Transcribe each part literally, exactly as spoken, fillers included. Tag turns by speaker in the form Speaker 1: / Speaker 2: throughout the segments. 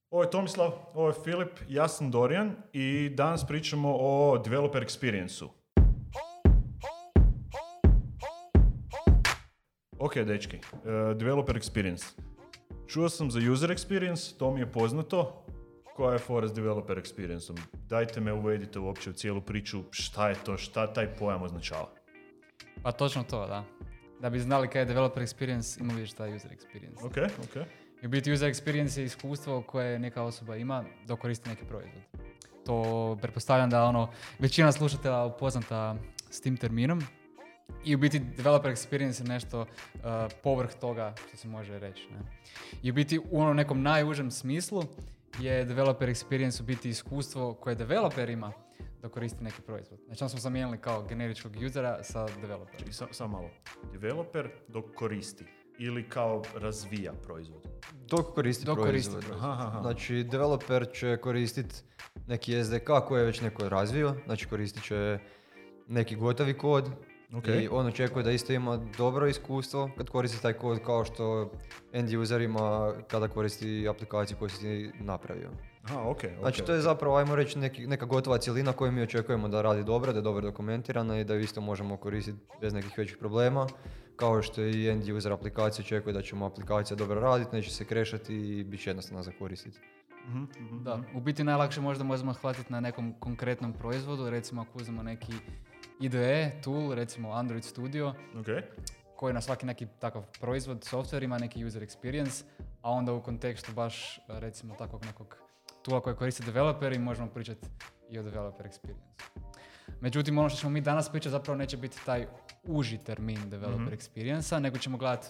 Speaker 1: Ovo je Tomislav, ovo je Filip, ja sam Dorijan i danas pričamo o developer experience-u. Ok, dečki, uh, developer experience. Čuo sam za user experience, to mi je poznato. Koja je fora s developer experience-om? Dajte me uvedite uopće u cijelu priču, šta je to, šta taj pojam označava.
Speaker 2: Pa točno to, da. Da bi znali kaj je developer experience, ima vidiš taj user experience.
Speaker 1: Ok, ok.
Speaker 2: I u biti user experience je iskustvo koje neka osoba ima dok koristi neki proizvod. To pretpostavljam da ono, većina slušatelja upoznata s tim terminom. I u biti developer experience je nešto uh, povrh toga što se može reći. Ne? I u biti u onom nekom najužem smislu je developer experience u biti iskustvo koje developer ima da koristi neki proizvod. Znači on smo zamijenili kao generičkog usera sa developerom.
Speaker 1: Samo sam malo. Developer dok koristi ili kao razvija proizvod?
Speaker 3: Dok koristi
Speaker 2: dok
Speaker 3: proizvod.
Speaker 2: Koristi proizvod.
Speaker 3: Aha, aha. Znači developer će koristiti neki es de ka koji je već neko razvio, znači koristit će neki gotovi kod. Okay. I on očekuje da isto ima dobro iskustvo kad koristi taj kod kao što end user ima kada koristi aplikaciju koju si ti napravio.
Speaker 1: Aha, okay, okay.
Speaker 3: Znači to je zapravo, ajmo reći, neki, neka gotova cjelina koju mi očekujemo da radi dobro, da je dobro dokumentirana i da ju isto možemo koristiti bez nekih većih problema. Kao što i end user aplikacija očekuje da ćemo aplikacija dobro raditi, neće se krešati i bit će jednostavno za koristiti.
Speaker 1: Mm-hmm, mm-hmm.
Speaker 2: Da, u biti najlakše možda možemo hvatiti na nekom konkretnom proizvodu, recimo ako uzmemo neki I D E tool, recimo Android Studio,
Speaker 1: okay.
Speaker 2: koji na svaki neki takav proizvod, software ima neki user experience, a onda u kontekstu baš recimo takvog nekog toola koji koriste developeri možemo pričati i o developer experience. Međutim, ono što ćemo mi danas pričati zapravo neće biti taj uži termin developer mm-hmm. experience-a, nego ćemo gledati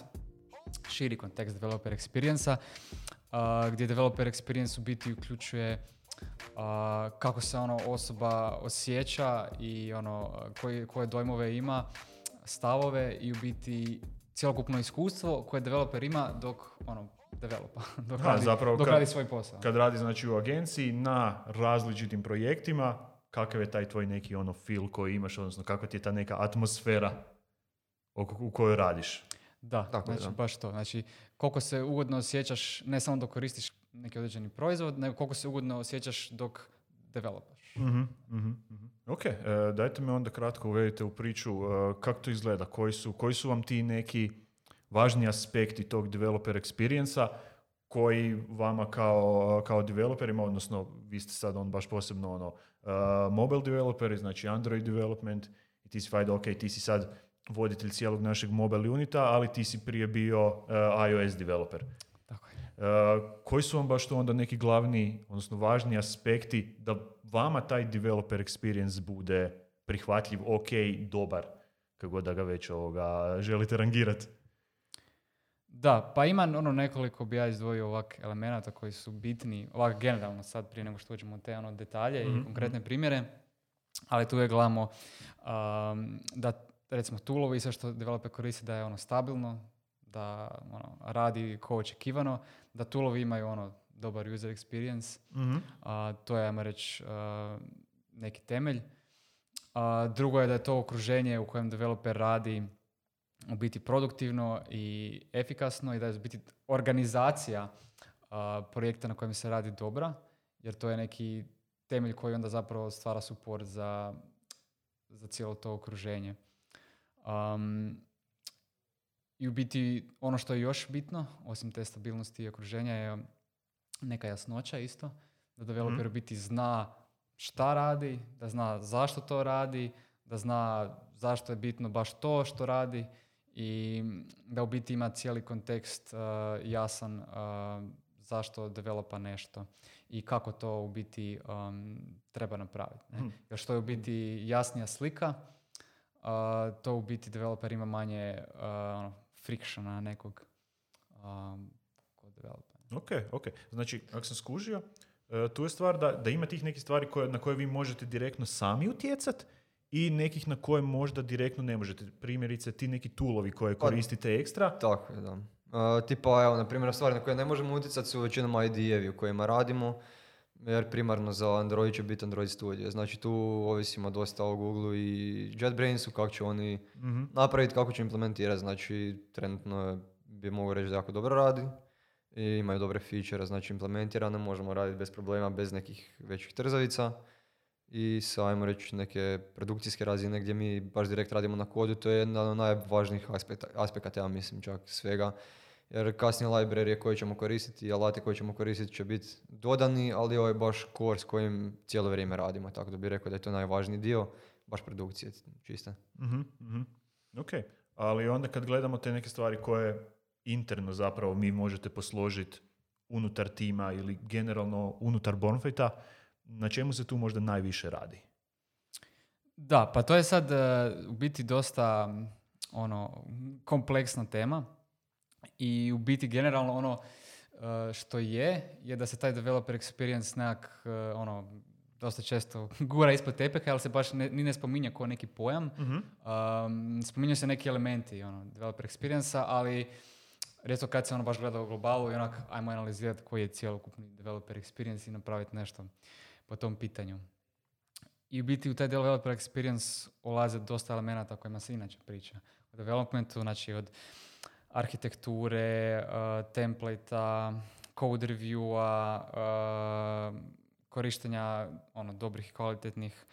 Speaker 2: širi kontekst developer experience-a, uh, gdje developer experience u biti uključuje Uh, kako se ono osoba osjeća i ono koji, koje dojmove ima, stavove i u biti cjelokupno iskustvo koje developer ima dok ono developa, dok,
Speaker 1: ha,
Speaker 2: radi,
Speaker 1: zapravo
Speaker 2: dok
Speaker 1: kad,
Speaker 2: radi svoj posao.
Speaker 1: Kad radi znači u agenciji na različitim projektima, kakav je taj tvoj neki ono feel koji imaš, odnosno kakva ti je ta neka atmosfera u kojoj radiš.
Speaker 2: Da,
Speaker 3: Tako
Speaker 2: znači
Speaker 3: je, da.
Speaker 2: baš to. Znači koliko se ugodno osjećaš ne samo dok koristiš neki određeni proizvod, nego koliko se ugodno osjećaš dok developaš.
Speaker 1: Mm-hmm, mm-hmm. Ok, e, dajte me onda kratko uvedite u priču e, kako to izgleda, koji su, koji su vam ti neki važni aspekti tog developer experience-a koji vama kao, kao developerima, odnosno vi ste sad on baš posebno ono, uh, mobile developeri, znači Android development i ti si fajda, ok, ti si sad voditelj cijelog našeg mobile unita, ali ti si prije bio uh, iOS developer.
Speaker 2: Tako je.
Speaker 1: Uh, koji su vam baš to onda neki glavni, odnosno važni aspekti da vama taj developer experience bude prihvatljiv, ok, dobar, kako da ga već ovoga želite rangirati?
Speaker 2: Da, pa ima ono nekoliko bi ja izdvojio ovak elemenata koji su bitni, ovak generalno sad prije nego što uđemo u te ono detalje mm-hmm. i konkretne primjere, ali tu je gledamo um, da recimo toolovi i sve što developer koristi da je ono stabilno, da ono, radi ko očekivano, da toolovi imaju ono dobar user experience,
Speaker 1: mm-hmm.
Speaker 2: uh, to je, ajmo reći, uh, neki temelj. Uh, drugo je da je to okruženje u kojem developer radi u biti produktivno i efikasno i da je u biti organizacija uh, projekta na kojem se radi dobra, jer to je neki temelj koji onda zapravo stvara support za, za cijelo to okruženje. Um, I u biti ono što je još bitno, osim te stabilnosti i okruženja, je neka jasnoća isto, da developer u biti zna šta radi, da zna zašto to radi, da zna zašto je bitno baš to što radi i da u biti ima cijeli kontekst uh, jasan uh, zašto developa nešto i kako to u biti um, treba napraviti. Ne? Hmm. Jer što je u biti jasnija slika, uh, to u biti developer ima manje uh, ono, frictiona nekog um, kod developera.
Speaker 1: Ok, ok. Znači, ako sam skužio, uh, tu je stvar da, da ima tih nekih stvari koje, na koje vi možete direktno sami utjecati i nekih na koje možda direktno ne možete. Primjerice, ti neki toolovi koje koristite ekstra.
Speaker 3: Tako je, da. Uh, tipa, evo, na primjer, stvari na koje ne možemo utjecati su većinom I D E-vi u kojima radimo, jer primarno za Android će biti Android Studio. Znači, tu ovisimo dosta o Google i JetBrainsu, kako će oni mm-hmm. napraviti, kako će implementirati. Znači, trenutno bi mogu reći da jako dobro radi. i imaju dobre feature, znači implementirane, možemo raditi bez problema, bez nekih većih trzavica. I sa, ajmo reći, neke produkcijske razine gdje mi baš direkt radimo na kodu, to je jedan od najvažnijih aspekta, aspekata, ja mislim, čak svega. Jer kasnije librarije koje ćemo koristiti i alati koje ćemo koristiti će biti dodani, ali ovo je baš core s kojim cijelo vrijeme radimo, tako da bih rekao da je to najvažniji dio, baš produkcije čiste.
Speaker 1: Mm-hmm, mm-hmm. Ok, ali onda kad gledamo te neke stvari koje interno zapravo mi možete posložiti unutar tima ili generalno unutar Bonfita, na čemu se tu možda najviše radi?
Speaker 2: Da, pa to je sad uh, u biti dosta ono, kompleksna tema i u biti generalno ono uh, što je, je da se taj developer experience nekak uh, ono, dosta često gura ispod tepeha, ali se baš ne, ni ne spominje kao neki pojam.
Speaker 1: Mm-hmm.
Speaker 2: Um, spominju se neki elementi ono, developer experience-a, ali rijetko kad se ono baš gleda u globalu i onak ajmo analizirati koji je cjelokupni developer experience i napraviti nešto po tom pitanju. I u biti u taj developer experience ulaze dosta elemenata o kojima se inače priča. U developmentu, znači od arhitekture, uh, template-a, code review-a, uh, korištenja ono, dobrih i kvalitetnih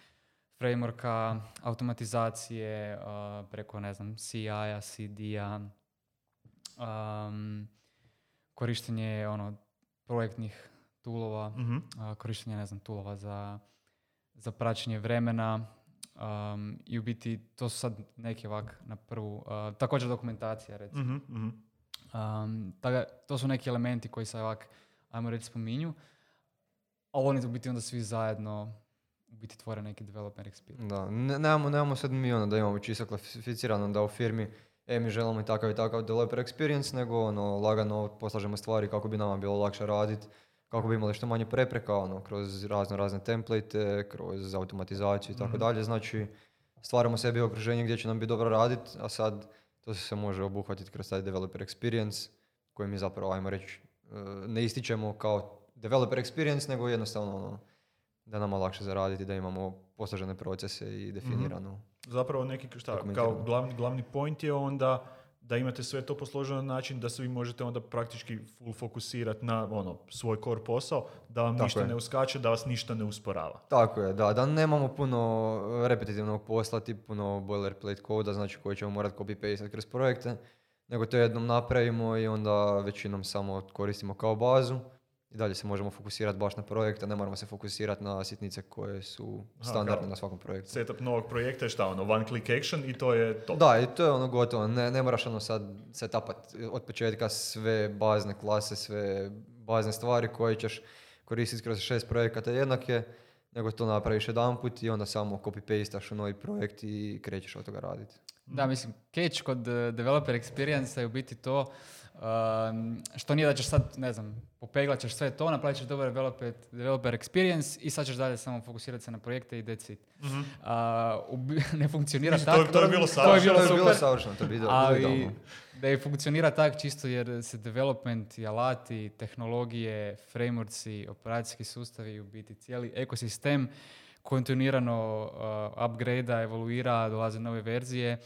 Speaker 2: frameworka, automatizacije uh, preko, ne znam, C I-a, C D-a, um, korištenje ono, projektnih toolova,
Speaker 1: Mm-hmm.
Speaker 2: uh, korištenje, ne znam, toolova za, za praćenje vremena um, i u biti to su sad neki ovak na prvu, uh, također dokumentacija recimo.
Speaker 1: Mm-hmm.
Speaker 2: Um, tako, to su neki elementi koji se ovak, ajmo reći, spominju, a oni u biti onda svi zajedno u biti tvore neki developer experience.
Speaker 3: Da, ne, nemamo, nemamo sad mi ono da imamo čisto klasificirano da u firmi e, mi želimo i takav i takav developer experience, nego ono, lagano poslažemo stvari kako bi nama bilo lakše raditi, kako bi imali što manje prepreka, ono, kroz razno razne template, kroz automatizaciju i tako dalje. Znači, stvaramo sebi okruženje gdje će nam biti dobro raditi, a sad to se može obuhvatiti kroz taj developer experience, koji mi zapravo, ajmo reći, ne ističemo kao developer experience, nego jednostavno ono, da nama lakše zaraditi, da imamo posložene procese i definirano.
Speaker 1: Mm-hmm. Zapravo neki, šta, kao glavni, glavni point je onda da imate sve to posloženo na način da se vi možete onda praktički full fokusirati na ono, svoj core posao, da vam
Speaker 3: Tako
Speaker 1: ništa
Speaker 3: je.
Speaker 1: ne uskače, da vas ništa ne usporava.
Speaker 3: Tako je, da, da nemamo puno repetitivnog posla, tip puno boilerplate koda, znači koji ćemo morati copy-paste kroz projekte, nego to jednom napravimo i onda većinom samo koristimo kao bazu i dalje se možemo fokusirati baš na projekte, ne moramo se fokusirati na sitnice koje su standardne
Speaker 1: Aha,
Speaker 3: na svakom projektu.
Speaker 1: Setup novog projekta je šta, ono, one click action i to je to.
Speaker 3: Da, i to je ono gotovo, ne, ne moraš ono sad setupati od početka sve bazne klase, sve bazne stvari koje ćeš koristiti kroz šest projekata jednake, nego to napraviš jedanput i onda samo copy-pastaš u novi projekt i krećeš od toga raditi.
Speaker 2: Da, mislim, catch kod uh, developer experience je u biti to um, što nije da ćeš sad, ne znam, popeglat ćeš sve to, napravit ćeš dobar developer, developer experience i sad ćeš dalje samo fokusirati se na projekte i that's it.
Speaker 1: Mm-hmm.
Speaker 2: Uh, ubi- ne funkcionira
Speaker 1: To,
Speaker 2: tako.
Speaker 1: to je bilo
Speaker 2: To je
Speaker 1: savršeno.
Speaker 2: bilo
Speaker 3: To je bilo
Speaker 2: super.
Speaker 3: savršeno, to je bilo
Speaker 2: Ali
Speaker 3: idealno.
Speaker 2: da je funkcionira tako čisto jer se development i alati, tehnologije, frameworksi, operacijski sustavi, u biti cijeli ekosistem kontinuirano uh, upgrade-a, evoluira, dolaze nove verzije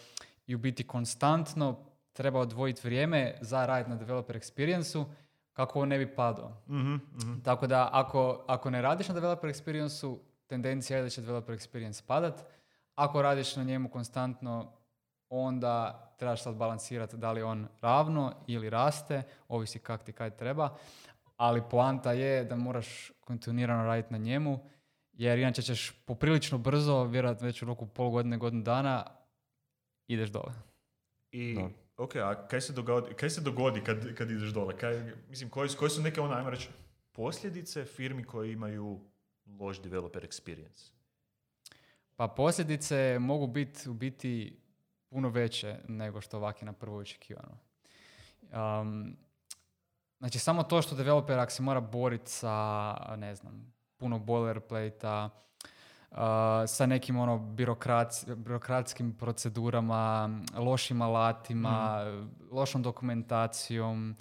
Speaker 2: i u biti konstantno treba odvojiti vrijeme za raditi na developer experience-u kako on ne bi padao.
Speaker 1: Mm-hmm. Mm-hmm.
Speaker 2: Tako da ako, ako ne radiš na developer experience-u, tendencija je da će developer experience padat. Ako radiš na njemu konstantno, onda trebaš sad balansirati da li on ravno ili raste, ovisi kak ti kaj treba, ali poanta je da moraš kontinuirano raditi na njemu, jer inače ćeš poprilično brzo, vjerojatno već u roku pol godine, godinu dana, ideš dole.
Speaker 1: I,
Speaker 3: Da.
Speaker 1: ok, a kaj se dogodi, kaj se dogodi kad, kad ideš dole? Kaj, mislim, koji, koji su neke, ono, ajmo reći, posljedice firmi koje imaju loš developer experience?
Speaker 2: Pa posljedice mogu biti u biti puno veće nego što ovak je na prvo očekivano. Um, znači, samo to što developer ako se mora boriti sa, ne znam, puno boilerplate-a, uh, sa nekim ono birokrats, birokratskim procedurama, lošim alatima, mm. lošom dokumentacijom,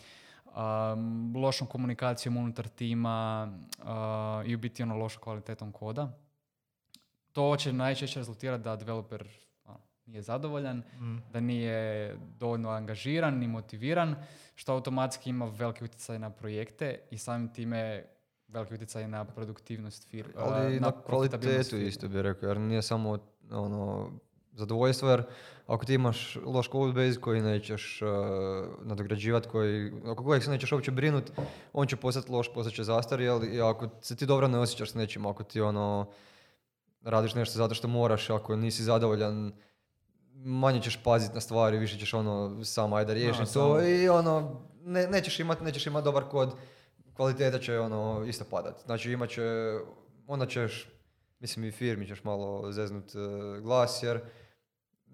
Speaker 2: um, lošom komunikacijom unutar tima uh, i u biti ono lošom kvalitetom koda. To će najčešće rezultirati da developer ono, nije zadovoljan,
Speaker 1: Mm.
Speaker 2: da nije dovoljno angažiran ni motiviran, što automatski ima veliki utjecaj na projekte i samim time veliki utjecaj na produktivnost firme.
Speaker 3: Ali i na, na kvalitetu isto bih rekao, jer nije samo ono, zadovoljstvo, jer ako ti imaš loš codebase koji nećeš uh, nadograđivati, koji, oko kojeg se nećeš uopće brinuti, on će postati loš, postat će zastarjel i ako se ti dobro ne osjećaš s nečim, ako ti ono, radiš nešto zato što moraš, ako nisi zadovoljan, manje ćeš paziti na stvari, više ćeš ono, samo ajde riješi to samo. I ono, ne, nećeš imati nećeš imat dobar kod, kvaliteta će ono, isto padati. Znači imat će, onda ćeš, mislim i firmi ćeš malo zeznut uh, glas, jer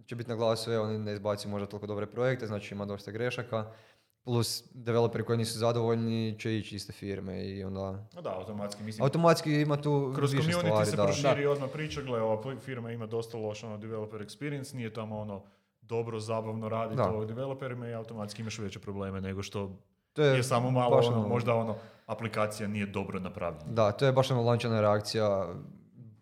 Speaker 3: će biti na glasu, evo, ne izbaci možda toliko dobre projekte, znači ima dosta grešaka, plus developeri koji nisu zadovoljni će ići iste firme i onda...
Speaker 1: No da, automatski, mislim...
Speaker 3: Automatski ima tu
Speaker 1: kroz
Speaker 3: više stvari,
Speaker 1: community se
Speaker 3: da.
Speaker 1: proširi odmah priča, gle, ova firma ima dosta loš ono, developer experience, nije tamo ono dobro, zabavno raditi ovo developerima i automatski imaš veće probleme nego što
Speaker 3: to je,
Speaker 1: je samo malo, ono,
Speaker 3: ono,
Speaker 1: možda ono, aplikacija nije dobro napravljena.
Speaker 3: Da, to je baš ono lančana reakcija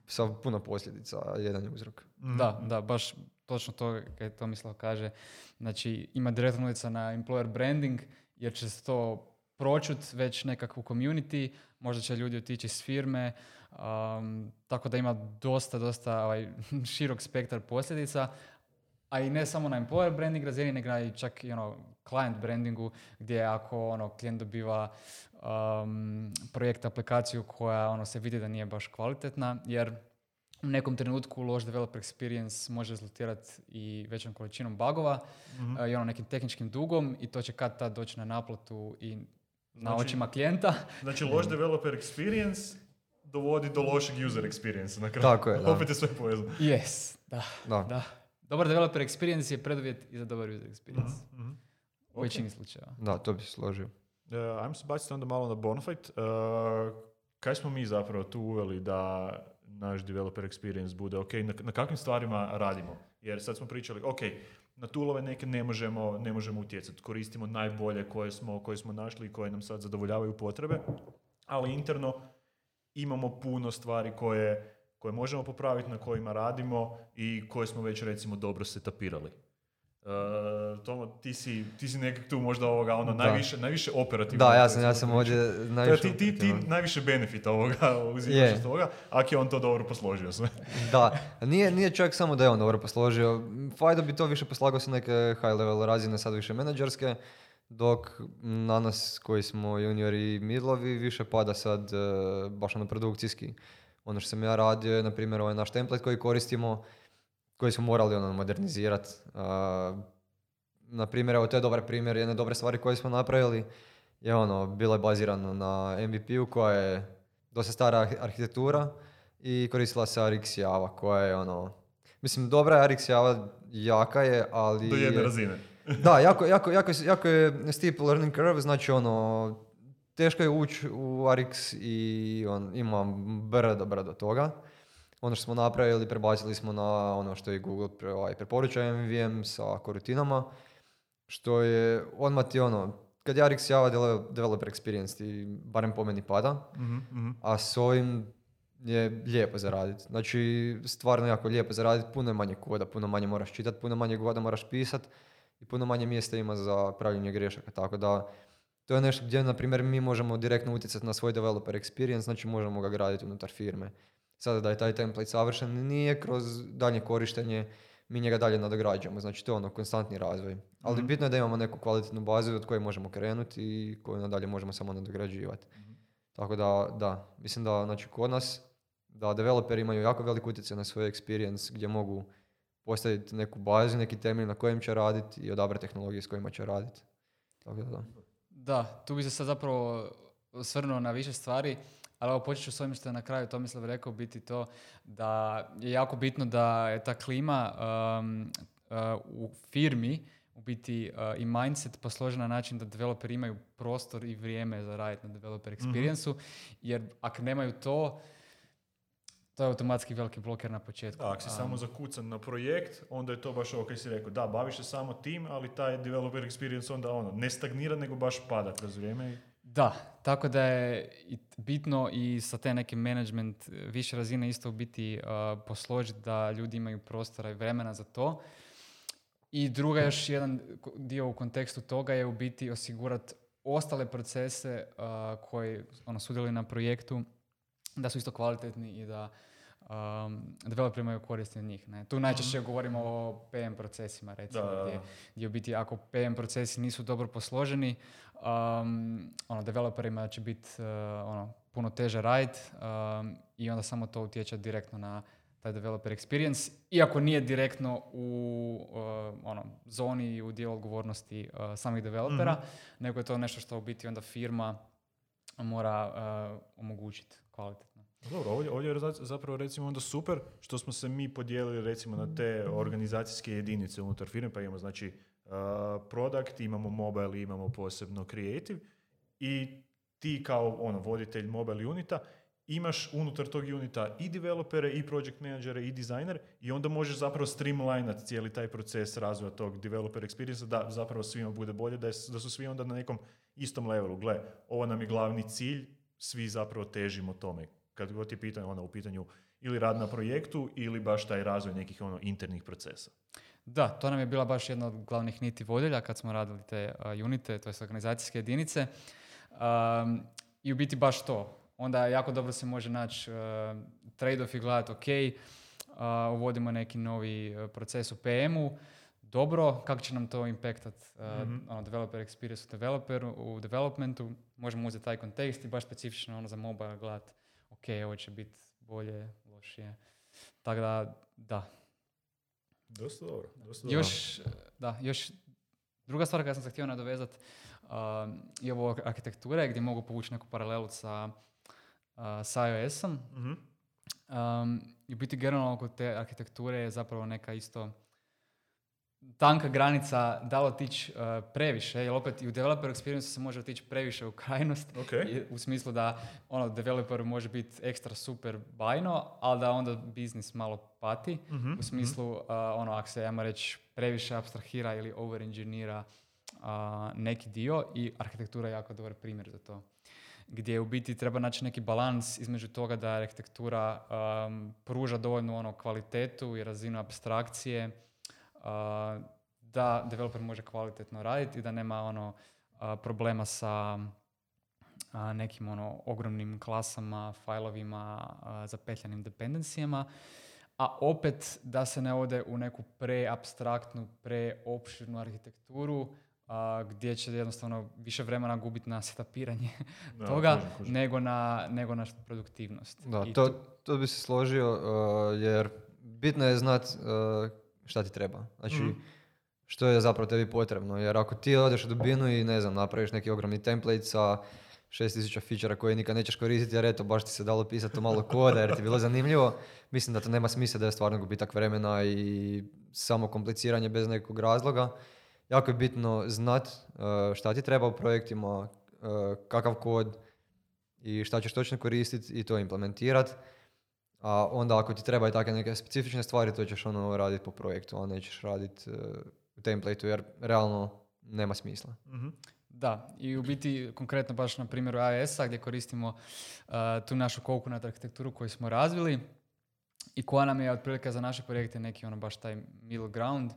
Speaker 3: sa puno posljedica, jedan je uzrok.
Speaker 2: Mm-hmm. Da, da, baš točno to kad Tomislav kaže. Znači, ima direktno utjecaj na employer branding, jer će se to pročut već nekakvu community, možda će ljudi otići iz firme, um, tako da ima dosta, dosta ovaj, širok spektar posljedica, a i ne samo na employer branding razini, nego i čak i ono, client brandingu, gdje ako ono, klijent dobiva um, projekt, aplikaciju koja ono, se vidi da nije baš kvalitetna, jer u nekom trenutku loš developer experience može rezultirati i većom količinom bugova mm-hmm. uh, i ono nekim tehničkim dugom i to će kad tad doći na naplatu i na znači, očima klijenta.
Speaker 1: Znači loš developer experience dovodi do lošeg user experience na kraju.
Speaker 3: Tako je, da.
Speaker 1: Opet je sve povezano.
Speaker 2: Yes, da,
Speaker 3: da.
Speaker 2: da. Dobar developer experience je preduvjet i za dobar user experience.
Speaker 1: Mm-hmm.
Speaker 2: U okay. većini slučajeva.
Speaker 3: Da, to bi se složio.
Speaker 1: Uh, ajmo se baciti onda malo na Bonafide. Uh, kaj smo mi zapravo tu uveli da naš developer experience bude ok, na, na kakvim stvarima radimo? Jer sad smo pričali, ok, na toolove neke ne možemo, ne možemo utjecati, koristimo najbolje koje smo, koje smo našli i koje nam sad zadovoljavaju potrebe, ali interno imamo puno stvari koje, koje možemo popraviti, na kojima radimo i koje smo već recimo dobro setapirali. Uh, Tomo, ti si, ti si nekak tu možda ovoga, ono, najviše, najviše operativno.
Speaker 3: Da, ja sam, ja sam ovdje najviše
Speaker 1: ti, ti, ti najviše benefita ovoga uzimaš iz toga, ako je on to dobro posložio sve.
Speaker 3: Da, nije, nije čak samo da je on dobro posložio. Fajda bi to više poslagao sa neke high level razine, sad više menadžerske, dok na nas koji smo juniori i midlovi više pada sad uh, baš ono produkcijski. Ono što sam ja radio je, na primjer, ovaj naš template koji koristimo, koji smo morali ono modernizirati. Uh, na primjer, evo to je dobar primjer, jedne dobre stvari koje smo napravili je ono, bilo je bazirano na M V P-u koja je dosta stara arhitektura i koristila se R X Java koja je ono, mislim dobra je R X Java, jaka je, ali...
Speaker 1: Do jedne razine.
Speaker 3: Da, jako, jako, jako, jako je steep learning curve, znači ono, teško je ući u R X i on ima brdo, brdo toga. Ono što smo napravili, prebacili smo na ono što je Google pre, ovaj, preporuča M V M sa korutinama, što je odmah ti ono, kad je R X Java developer experience ti barem po meni pada, mm-hmm. a s ovim je lijepo zaraditi. Znači, stvarno jako lijepo zaraditi, puno je manje koda, puno manje moraš čitati, puno manje koda moraš pisati i puno manje mjesta ima za pravljenje grešaka, tako da to je nešto gdje, na primjer, mi možemo direktno utjecati na svoj developer experience, znači možemo ga graditi unutar firme. Sada da je taj template savršen, nije kroz dalje korištenje, mi njega dalje nadograđujemo, znači to je ono konstantni razvoj. Ali mm-hmm. bitno je da imamo neku kvalitetnu bazu od koje možemo krenuti i koju nadalje možemo samo nadograđivati. Mm-hmm. Tako da, da, mislim da znači, kod nas, da developeri imaju jako velik utjecaj na svoj experience gdje mogu postaviti neku bazu, neki temelj na kojem će raditi i odabrati tehnologije s kojima će raditi. Tako da, da.
Speaker 2: Da, tu bi se sad zapravo osvrnuo na više stvari, ali evo počet ću s ovim što je na kraju Tomislav rekao, biti to da je jako bitno da je ta klima um, uh, u firmi u biti uh, i mindset posložen na način da developeri imaju prostor i vrijeme za raditi na developer experience-u, mm-hmm. jer ako nemaju to, to je automatski veliki bloker na početku.
Speaker 1: Da, ako si um, samo zakucan na projekt, onda je to baš ovo kaj si rekao. Da, baviš se samo tim, ali taj developer experience onda ono, ne stagnira, nego baš pada kroz vrijeme.
Speaker 2: Da, tako da je bitno i sa te neke management više razine isto u biti uh, posložiti da ljudi imaju prostora i vremena za to. I druga još jedan dio u kontekstu toga je u biti osigurati ostale procese uh, koji ono, sudjeluju na projektu da su isto kvalitetni i da um, developeri imaju koristi od njih. Ne? Tu najčešće mm. govorimo o P M procesima, recimo, da. Gdje, gdje u biti ako P M procesi nisu dobro posloženi, um, ono, developerima će biti uh, ono, puno teže raditi um, i onda samo to utječe direktno na taj developer experience, iako nije direktno u uh, ono, zoni i u dijelu odgovornosti uh, samih developera, mm-hmm. nego je to nešto što u biti onda firma mora uh, omogućiti kvalitetno.
Speaker 1: Dobro, ovdje, ovdje je zapravo recimo onda super što smo se mi podijelili recimo na te organizacijske jedinice unutar firme, pa imamo znači uh, product, imamo mobile, imamo posebno creative i ti kao ono, voditelj mobile unita imaš unutar tog unita i developere, i project managere, i dizajnere i onda možeš zapravo streamlinati cijeli taj proces razvoja tog developer experience da zapravo svima bude bolje, da, je, da su svi onda na nekom istom levelu. Gle, ovo nam je glavni cilj, svi zapravo težimo tome. Kad god je pitanje, ono, u pitanju ili rad na projektu ili baš taj razvoj nekih ono, internih procesa.
Speaker 2: Da, to nam je bila baš jedna od glavnih niti vodilja kad smo radili te uh, unite, to je organizacijske jedinice. Um, I u biti baš to. Onda jako dobro se može naći uh, trade-off i gledati, ok, uh, uvodimo neki novi uh, proces u P M-u, dobro, kako će nam to impactat uh, mm-hmm. ono, developer experience u developeru, u developmentu, možemo uzeti taj kontekst i baš specifično ono, za mobile gledati, ok, ovo će biti bolje, lošije. Tako da, da.
Speaker 1: Dosta dobro. Dosta
Speaker 2: još, dobro. Da, još druga stvar koja sam se htio nadovezati uh, je ovo arhitekture gdje mogu povući neku paralelu sa Uh, s iOS-om. Mm-hmm. Um, I biti generalno oko te arhitekture je zapravo neka isto tanka granica da li otići uh, previše, jer opet i u developer experience se može otići previše u krajnost,
Speaker 1: okay.
Speaker 2: u smislu da ono, developer može biti ekstra super bajno, ali da onda biznis malo pati, mm-hmm. u smislu uh, ono, ako se, ajmo reći, previše abstrahira ili overengineera uh, neki dio i arhitektura je jako dobar primjer za to. Gdje u biti treba naći neki balans između toga da arhitektura um, pruža dovoljnu ono, kvalitetu i razinu apstrakcije, uh, da developer može kvalitetno raditi i da nema ono, uh, problema sa uh, nekim ono, ogromnim klasama, fajlovima, uh, zapetljanim dependencijama, a opet da se ne ode u neku preapstraktnu, preopširnu arhitekturu, Uh, gdje će jednostavno više vremena gubiti na setapiranje da, toga kužim, kužim. Nego, na, nego na produktivnost.
Speaker 3: Da,
Speaker 2: I
Speaker 3: to,
Speaker 2: tu...
Speaker 3: to bi se složio uh, jer bitno je znat uh, šta ti treba. Znači, mm. što je zapravo tebi potrebno. Jer ako ti odeš u dubinu i ne znam, napraviš neki ogromni template sa šest tisuća feature koje nikad nećeš koristiti jer eto, baš ti se dalo pisati malo koda jer ti je bilo zanimljivo, mislim da to nema smisla, da je stvarno gubitak vremena i samo kompliciranje bez nekog razloga. Jako je bitno znat uh, šta ti treba u projektima, uh, kakav kod i šta ćeš točno koristiti i to implementirati. A onda ako ti treba i takve neke specifične stvari, to ćeš ono raditi po projektu, a nećeš raditi uh, u templateu jer realno nema smisla.
Speaker 2: Mm-hmm. Da, i u biti konkretno baš na primjeru iOS-a gdje koristimo uh, tu našu coconut arhitekturu koju smo razvili i koja nam je otprilike za naše projekte neki ono baš taj middle ground,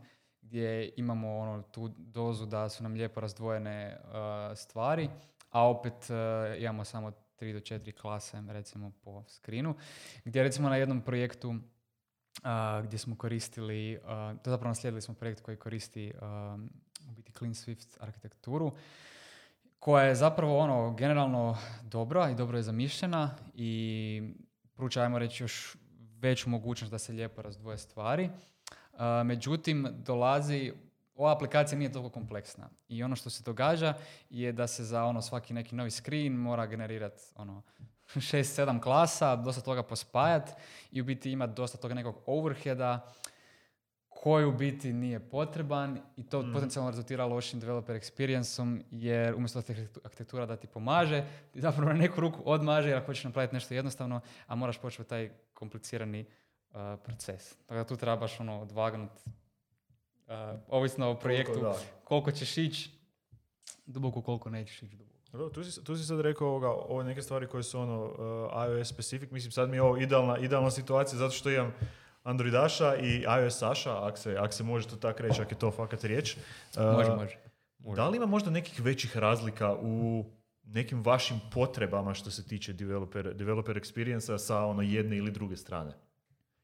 Speaker 2: gdje imamo ono, tu dozu da su nam lijepo razdvojene uh, stvari, a opet uh, imamo samo tri do četiri klase, recimo, po screenu, gdje recimo na jednom projektu uh, gdje smo koristili, uh, to zapravo naslijedili smo projekt koji koristi uh, u biti Clean Swift arhitekturu, koja je zapravo ono, generalno dobra i dobro je zamišljena i pruča, ajmo reći, još veću mogućnost da se lijepo razdvoje stvari. Uh, međutim, dolazi, ova aplikacija nije toliko kompleksna i ono što se događa je da se za ono svaki neki novi screen mora generirati ono šest sedam klasa, dosta toga pospajati i u biti ima dosta toga nekog overheada koji u biti nije potreban i to mm. potencijalno rezultira lošim developer experience-om jer umjesto da arhitektura da ti pomaže, ti zapravo na neku ruku odmaže jer ako hoćeš napraviti nešto jednostavno, a moraš početi taj komplicirani Uh, proces. Tako da tu trebaš ono odvagnuti uh, ovisno o projektu koliko, koliko ćeš ići duboko, koliko nećeš ići duboko.
Speaker 1: Tu si, tu si sad rekao ovoga, ove neke stvari koje su ono uh, iOS specific, mislim sad mi je ovo idealna, idealna situacija zato što imam Androidaša i iOS-aša, ako se, ak se može to tako reći, ako je to fakat riječ. Uh,
Speaker 2: može, može.
Speaker 1: Da li ima možda nekih većih razlika u nekim vašim potrebama što se tiče developer, developer experience-a sa ono jedne ili druge strane?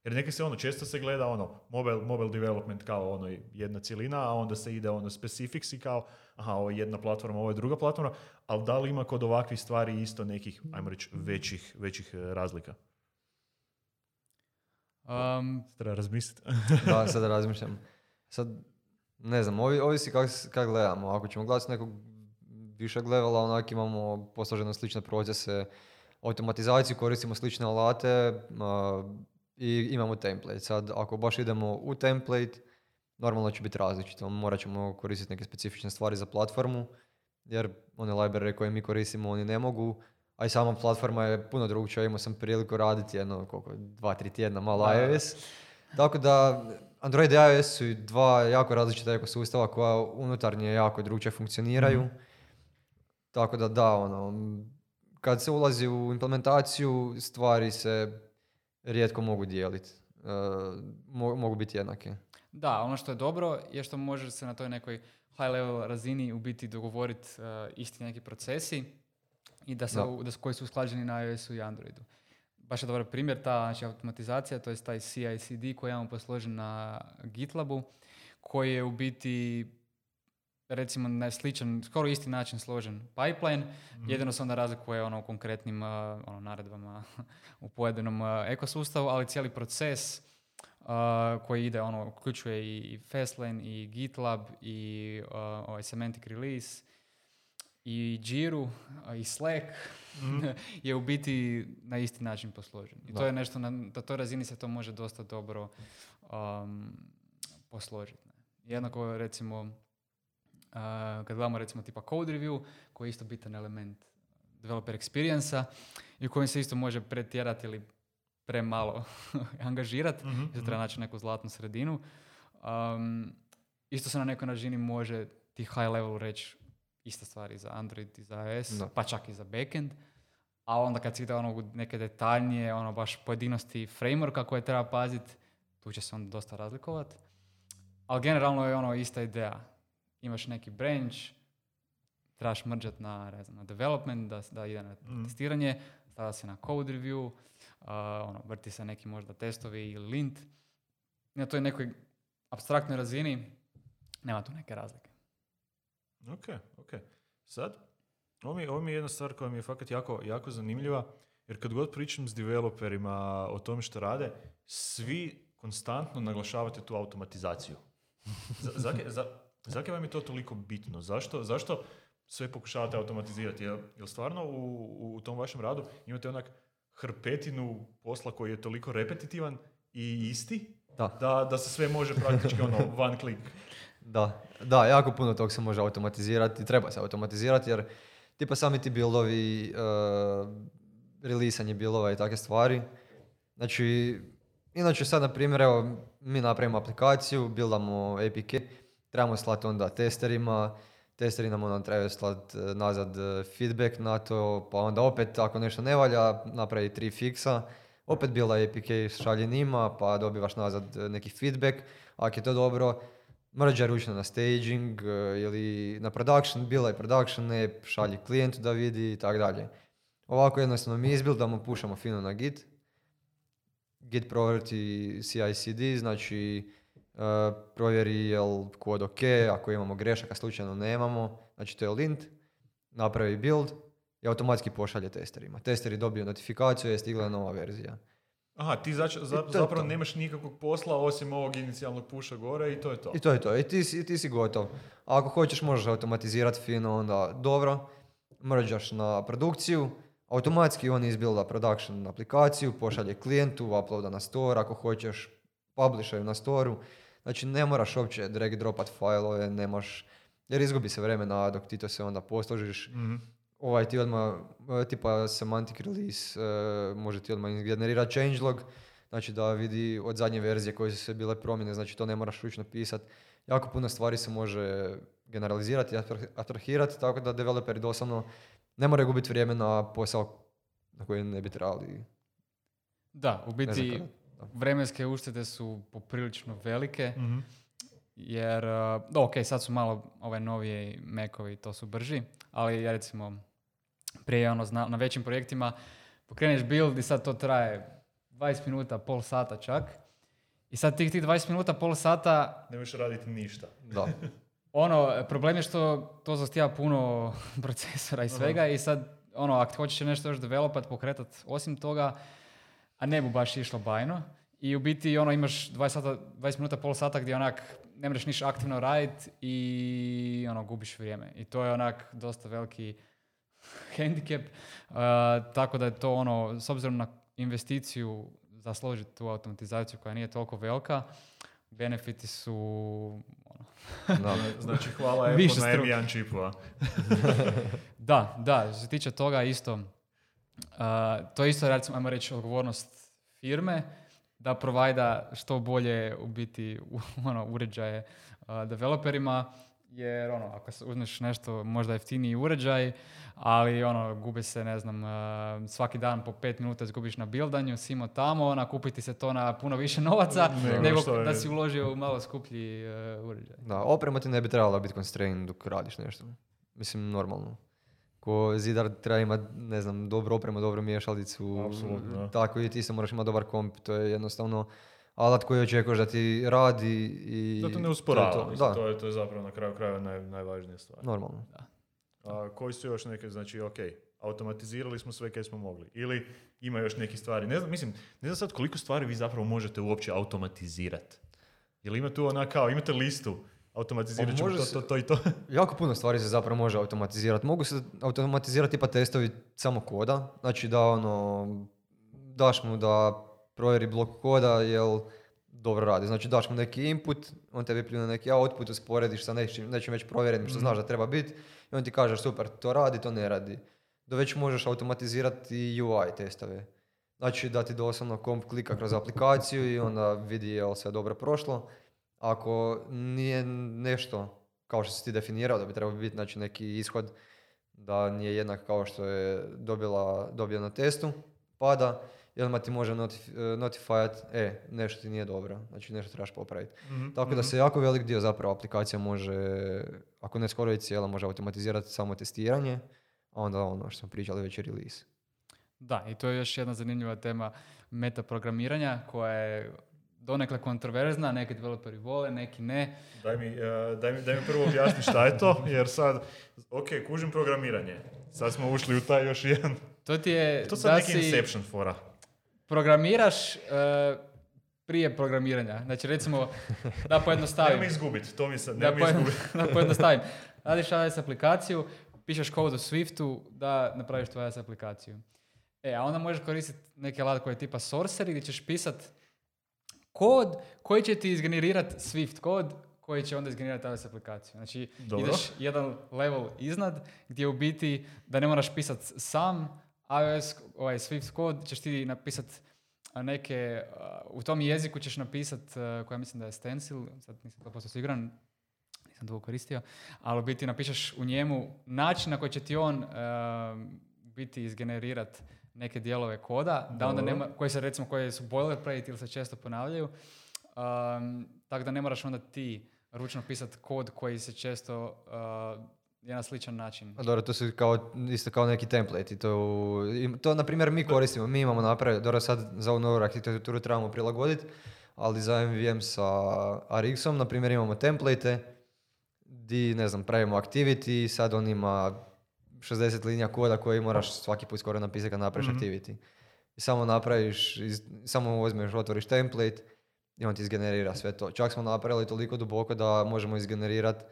Speaker 1: Jer neke se ono, često se gleda ono, mobile, mobile development kao ono jedna cjelina, a onda se ide ono specifics i kao, aha, ovo je jedna platforma, ovo je druga platforma, ali da li ima kod ovakvih stvari isto nekih, ajmo reći, većih, većih razlika?
Speaker 2: Um,
Speaker 1: Treba razmisliti.
Speaker 3: Da, sad razmišljam. Sad, ne znam, ovi, ovisi kako kak gledamo. Ako ćemo gledati nekog višeg levela, onak imamo posloženo slične procese, automatizaciju, koristimo slične alate, uh, i imamo template. Sad, ako baš idemo u template, normalno će biti različito. Morat ćemo koristiti neke specifične stvari za platformu, jer one library koje mi koristimo, oni ne mogu, a i sama platforma je puno drugčija. Imao sam priliku raditi jedno, koliko, dva, tri tjedna malo da. iOS. Tako da, Android i iOS su dva jako različita ekosustava koja unutarnje jako drugčije funkcioniraju. Mm-hmm. Tako da, da, ono, kad se ulazi u implementaciju, stvari se rijetko mogu dijeliti. Uh, mo- mogu biti jednake.
Speaker 2: Da, ono što je dobro je što može se na toj nekoj high level razini u biti dogovoriti uh, isti neki procesi i da se, da. U, da, koji su usklađeni na iOS-u i Androidu. Baš je dobar primjer ta znači, automatizacija, to je taj C I C D koji imamo posložen na GitLabu, koji je u biti recimo na sličan, skoro isti način složen pipeline, mm-hmm. jedino se onda razlikuje ono u konkretnim uh, ono, naredbama u pojedinom uh, ekosustavu, ali cijeli proces uh, koji ide, ono, uključuje i, i Fastlane, i GitLab, i uh, ovaj semantic release, i Jira, uh, i Slack, mm-hmm. je u biti na isti način posložen. I da. To je nešto, na, na toj razini se to može dosta dobro um, posložiti. Jednako, recimo, Uh, kad gledamo recimo tipa code review, koji je isto bitan element developer experience-a i u kojem se isto može pretjerati ili premalo angažirati, mm-hmm. i to treba naći neku zlatnu sredinu. Um, isto se na nekoj razini može ti high level reći ista stvari za Android i za iOS, no. pa čak i za backend, a onda kad se ide ono neke detaljnije, ono baš pojedinosti frameworka koje treba paziti, tu će se onda dosta razlikovati. Ali generalno je ono ista ideja. Imaš neki branch, trebaš mrđat na, ne znam, na development, da, da ide na mm. testiranje, stavlja se na code review, uh, ono, vrti se neki možda testovi ili lint. I na toj nekoj apstraktnoj razini nema tu neke razlike.
Speaker 1: Ok, ok. Sad, ovo mi, ovo mi je jedna stvar koja mi je fakat jako, jako zanimljiva, jer kad god pričam s developerima o tome što rade, svi konstantno naglašavate tu automatizaciju. Za, za, za, Zakaj vam je to toliko bitno? Zašto, zašto sve pokušavate automatizirati? Jel, jel stvarno u, u tom vašem radu imate onak hrpetinu posla koji je toliko repetitivan i isti da, da, da se sve može praktički ono one click?
Speaker 3: Da, da, jako puno tog se može automatizirati, treba se automatizirati jer tipa sami ti buildovi, uh, releasanje buildova i takve stvari. Znači, inače sad na primjer, evo, mi napravimo aplikaciju, buildamo A P K, trebamo slati onda testerima, testeri nam onda trebaju slati nazad feedback na to, pa onda opet ako nešto ne valja, napravi tri fiksa, opet bila A P K šalje njima, pa dobivaš nazad neki feedback, ako je to dobro, mrđa ručno na staging ili na production, bila je production app, šalji klijentu da vidi i tako dalje. Ovako jednostavno mi izbildamo, pušamo fino na Git, Git provjerti C I C D, znači Uh, provjeri je li kod ok, ako imamo grešaka, slučajno nemamo, znači to je lint, napravi build i automatski pošalje testerima. Testeri dobiju notifikaciju, je stigla nova verzija.
Speaker 1: Aha, ti zač- za, zapravo nemaš nikakvog posla osim ovog inicijalnog pusha gore i to je to.
Speaker 3: I to je to, i ti si, ti si gotov. A ako hoćeš možeš automatizirati fino, onda dobro, mrđaš na produkciju, automatski on izbilda production aplikaciju, pošalje klijentu, uploada na store, ako hoćeš publishaju na storu. Znači ne moraš uopće drag dropat fajlove, nemaš, jer izgubi se vremena dok ti to se onda posložiš. Mm-hmm. Ovaj ti odmah, tipa semantic release, uh, može ti odmah generirati changelog, znači da vidi od zadnje verzije koje su se bile promjene, znači to ne moraš ručno pisati. Jako puno stvari se može generalizirati i abstrahirati, tako da developeri doslovno ne moraju gubiti vrijeme na posao na koji ne bi trebali.
Speaker 2: Da, u biti
Speaker 3: Ne znam kako,
Speaker 2: vremenske uštede su poprilično velike,
Speaker 1: Mhm.
Speaker 2: jer, uh, ok, sad su malo ove novije Macovi, to su brži, ali ja recimo prije ono, na, na većim projektima pokreneš build i sad to traje dvadeset minuta, pol sata čak. I sad tih tih dvadeset minuta, pol sata,
Speaker 1: Ne možeš raditi ništa.
Speaker 3: Da.
Speaker 2: ono, problem je što to zahtijeva puno procesora i svega i sad, ono, ako hoćeš nešto još developat, pokretat osim toga, a ne bu baš išlo bajno. I u biti, ono, imaš dvadeset, sata, dvadeset minuta, pol sata gdje onak ne možeš ništa aktivno raditi i ono, gubiš vrijeme. I to je onak dosta veliki hendikep. Uh, tako da je to ono, s obzirom na investiciju za složiti tu automatizaciju koja nije toliko velika, benefiti su ono,
Speaker 3: Da.
Speaker 1: Znači, hvala
Speaker 2: Više
Speaker 1: Apple na
Speaker 2: struke.
Speaker 1: M jedan čipu, a?
Speaker 2: Da, da, što se tiče toga isto, uh, to je isto, recimo, ajmo reći, odgovornost firme da provajda što bolje u biti u, ono, uređaje uh, developerima, jer ono, ako se uzmeš nešto možda jeftiniji uređaj, ali ono, gubi se, ne znam, uh, svaki dan po pet minuta izgubiš na bildanju, simo tamo, nakupiti se to na puno više novaca,
Speaker 1: Nego
Speaker 2: nego
Speaker 1: što je-
Speaker 2: da si uložio u malo skuplji uh, uređaj.
Speaker 3: Da, oprema ti ne bi trebala biti constraint dok radiš nešto. Mislim, normalno. Ko zidar treba imati, ne znam, dobru opremu, dobru miješalicu.
Speaker 1: Apsolutno, da.
Speaker 3: Tako i ti se moraš imati dobar komp. To je jednostavno alat koji očekuješ da ti radi i...
Speaker 1: Da to ne
Speaker 3: to je
Speaker 1: usporava.
Speaker 3: to.
Speaker 1: mislim,
Speaker 3: Da,
Speaker 1: To, je, to je zapravo na kraju krajeva naj, najvažnija stvar.
Speaker 3: normalno.
Speaker 1: A koji su još neke, znači, ok, automatizirali smo sve kaj smo mogli. Ili ima još neki stvari. Ne znam, mislim, ne znam sad koliko stvari vi zapravo možete uopće automatizirati. Jel ima tu ona kao, imate listu, automatizirat
Speaker 3: Pa
Speaker 1: ćemo
Speaker 3: može
Speaker 1: to,
Speaker 3: se-
Speaker 1: to, to i to.
Speaker 3: Jako puno stvari se zapravo može automatizirati. Mogu se automatizirati tipa testovi samo koda. Znači da ono, daš mu da provjeri blok koda jel dobro radi. Znači daš mu neki input, on tebi pljune neki output, usporediš sa nečim, nečim već provjerenim što znaš da treba biti i on ti kaže super, to radi, to ne radi. Da već možeš automatizirati i U I testove. Znači da ti doslovno komp klika kroz aplikaciju i onda vidi je li sve dobro prošlo. Ako nije nešto kao što si ti definirao da bi trebao biti, znači neki ishod da nije jednak kao što je dobila, dobio na testu, pada i odmah ti može notif- notifajat, e, nešto ti nije dobro, znači nešto trebaš popraviti. Tako da se jako velik dio zapravo aplikacija može, ako ne skoro i cijela, može automatizirati samo testiranje, a onda ono što smo pričali već je release.
Speaker 2: Da, i to je još jedna zanimljiva tema metaprogramiranja koja je donekle kontroverzna, neki developeri vole, neki ne.
Speaker 1: Daj mi, eh, daj, mi, daj mi prvo objasni šta je to, jer sad, ok, kužim programiranje. Sad smo ušli u taj još jedan.
Speaker 2: To ti je
Speaker 1: To sad
Speaker 2: da
Speaker 1: neki
Speaker 2: si
Speaker 1: Inception fora.
Speaker 2: programiraš uh, prije programiranja. Znači recimo, da pojednostavim.
Speaker 1: Nemoj izgubiti, to mi sad,
Speaker 2: Da,
Speaker 1: nemoj
Speaker 2: pojedno-
Speaker 1: izgubiti.
Speaker 2: da pojednostavim. Radiš iOS aplikaciju, pišeš kod u Swiftu da napraviš tvoju iOS aplikaciju. E, a onda možeš koristiti neki alat koji je tipa Sorcery gdje ćeš pisat kod koji će ti izgenerirati Swift kod koji će onda izgenerirati iOS aplikaciju. Znači,
Speaker 1: Dobro.
Speaker 2: ideš jedan level iznad gdje u biti da ne moraš pisat sam iOS, ovaj Swift kod, ćeš ti napisat a, neke, a, u tom jeziku ćeš napisat, a, koja mislim da je stencil, sad nisam sto posto siguran, nisam to koristio, ali u biti napišeš u njemu način na koji će ti on a, biti izgenerirat neke dijelove koda, da onda
Speaker 1: Dobro.
Speaker 2: nema, koji se recimo koji su boilerplate ili se često ponavljaju, um, tako da ne moraš onda ti ručno pisati kod koji se često uh, je na sličan način.
Speaker 3: A dobro, to su kao, isto kao neki template. To, im- to na primjer, mi koristimo, mi imamo napraviti, dobro, sad za ovu novu arhitekturu trebamo prilagoditi, ali za M V M sa R X-om, na primjer, imamo template di, ne znam, pravimo activity, sad on ima šezdeset linija koda koji moraš svaki put skoro napisati kad napraviš
Speaker 1: Mhm.
Speaker 3: activity. I samo napraviš, iz, samo uzmeš, otvoriš template i on ti izgenerira sve to. Čak smo napravili toliko duboko da možemo izgenerirati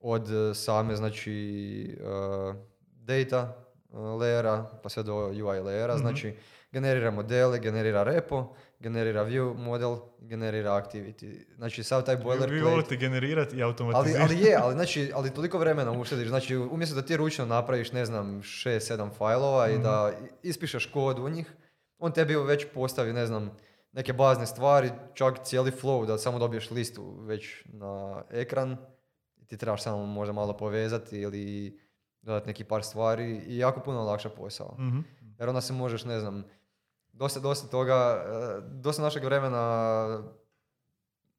Speaker 3: od eh, same, znači, uh, data uh, layera pa sve do U I layera.
Speaker 1: Mhm.
Speaker 3: Znači, generira modele, generira repo, generira view model, generira activity. Znači, sav taj
Speaker 1: Vi, vi
Speaker 3: boilerplate...
Speaker 1: volite generirati i
Speaker 3: Ali,
Speaker 1: automatizirati.
Speaker 3: ali je, ali, znači, ali toliko vremena uštediš. Znači, umjesto da ti ručno napraviš, ne znam, šest sedam fajlova i da ispišeš kod u njih, on tebi već postavi, ne znam, neke bazne stvari, čak cijeli flow, da samo dobiješ listu već na ekran i ti trebaš samo možda malo povezati ili dodati neki par stvari i jako puno lakša posao.
Speaker 1: Mm-hmm.
Speaker 3: Jer onda se možeš, ne znam, dosta, dosta toga, dosta našeg vremena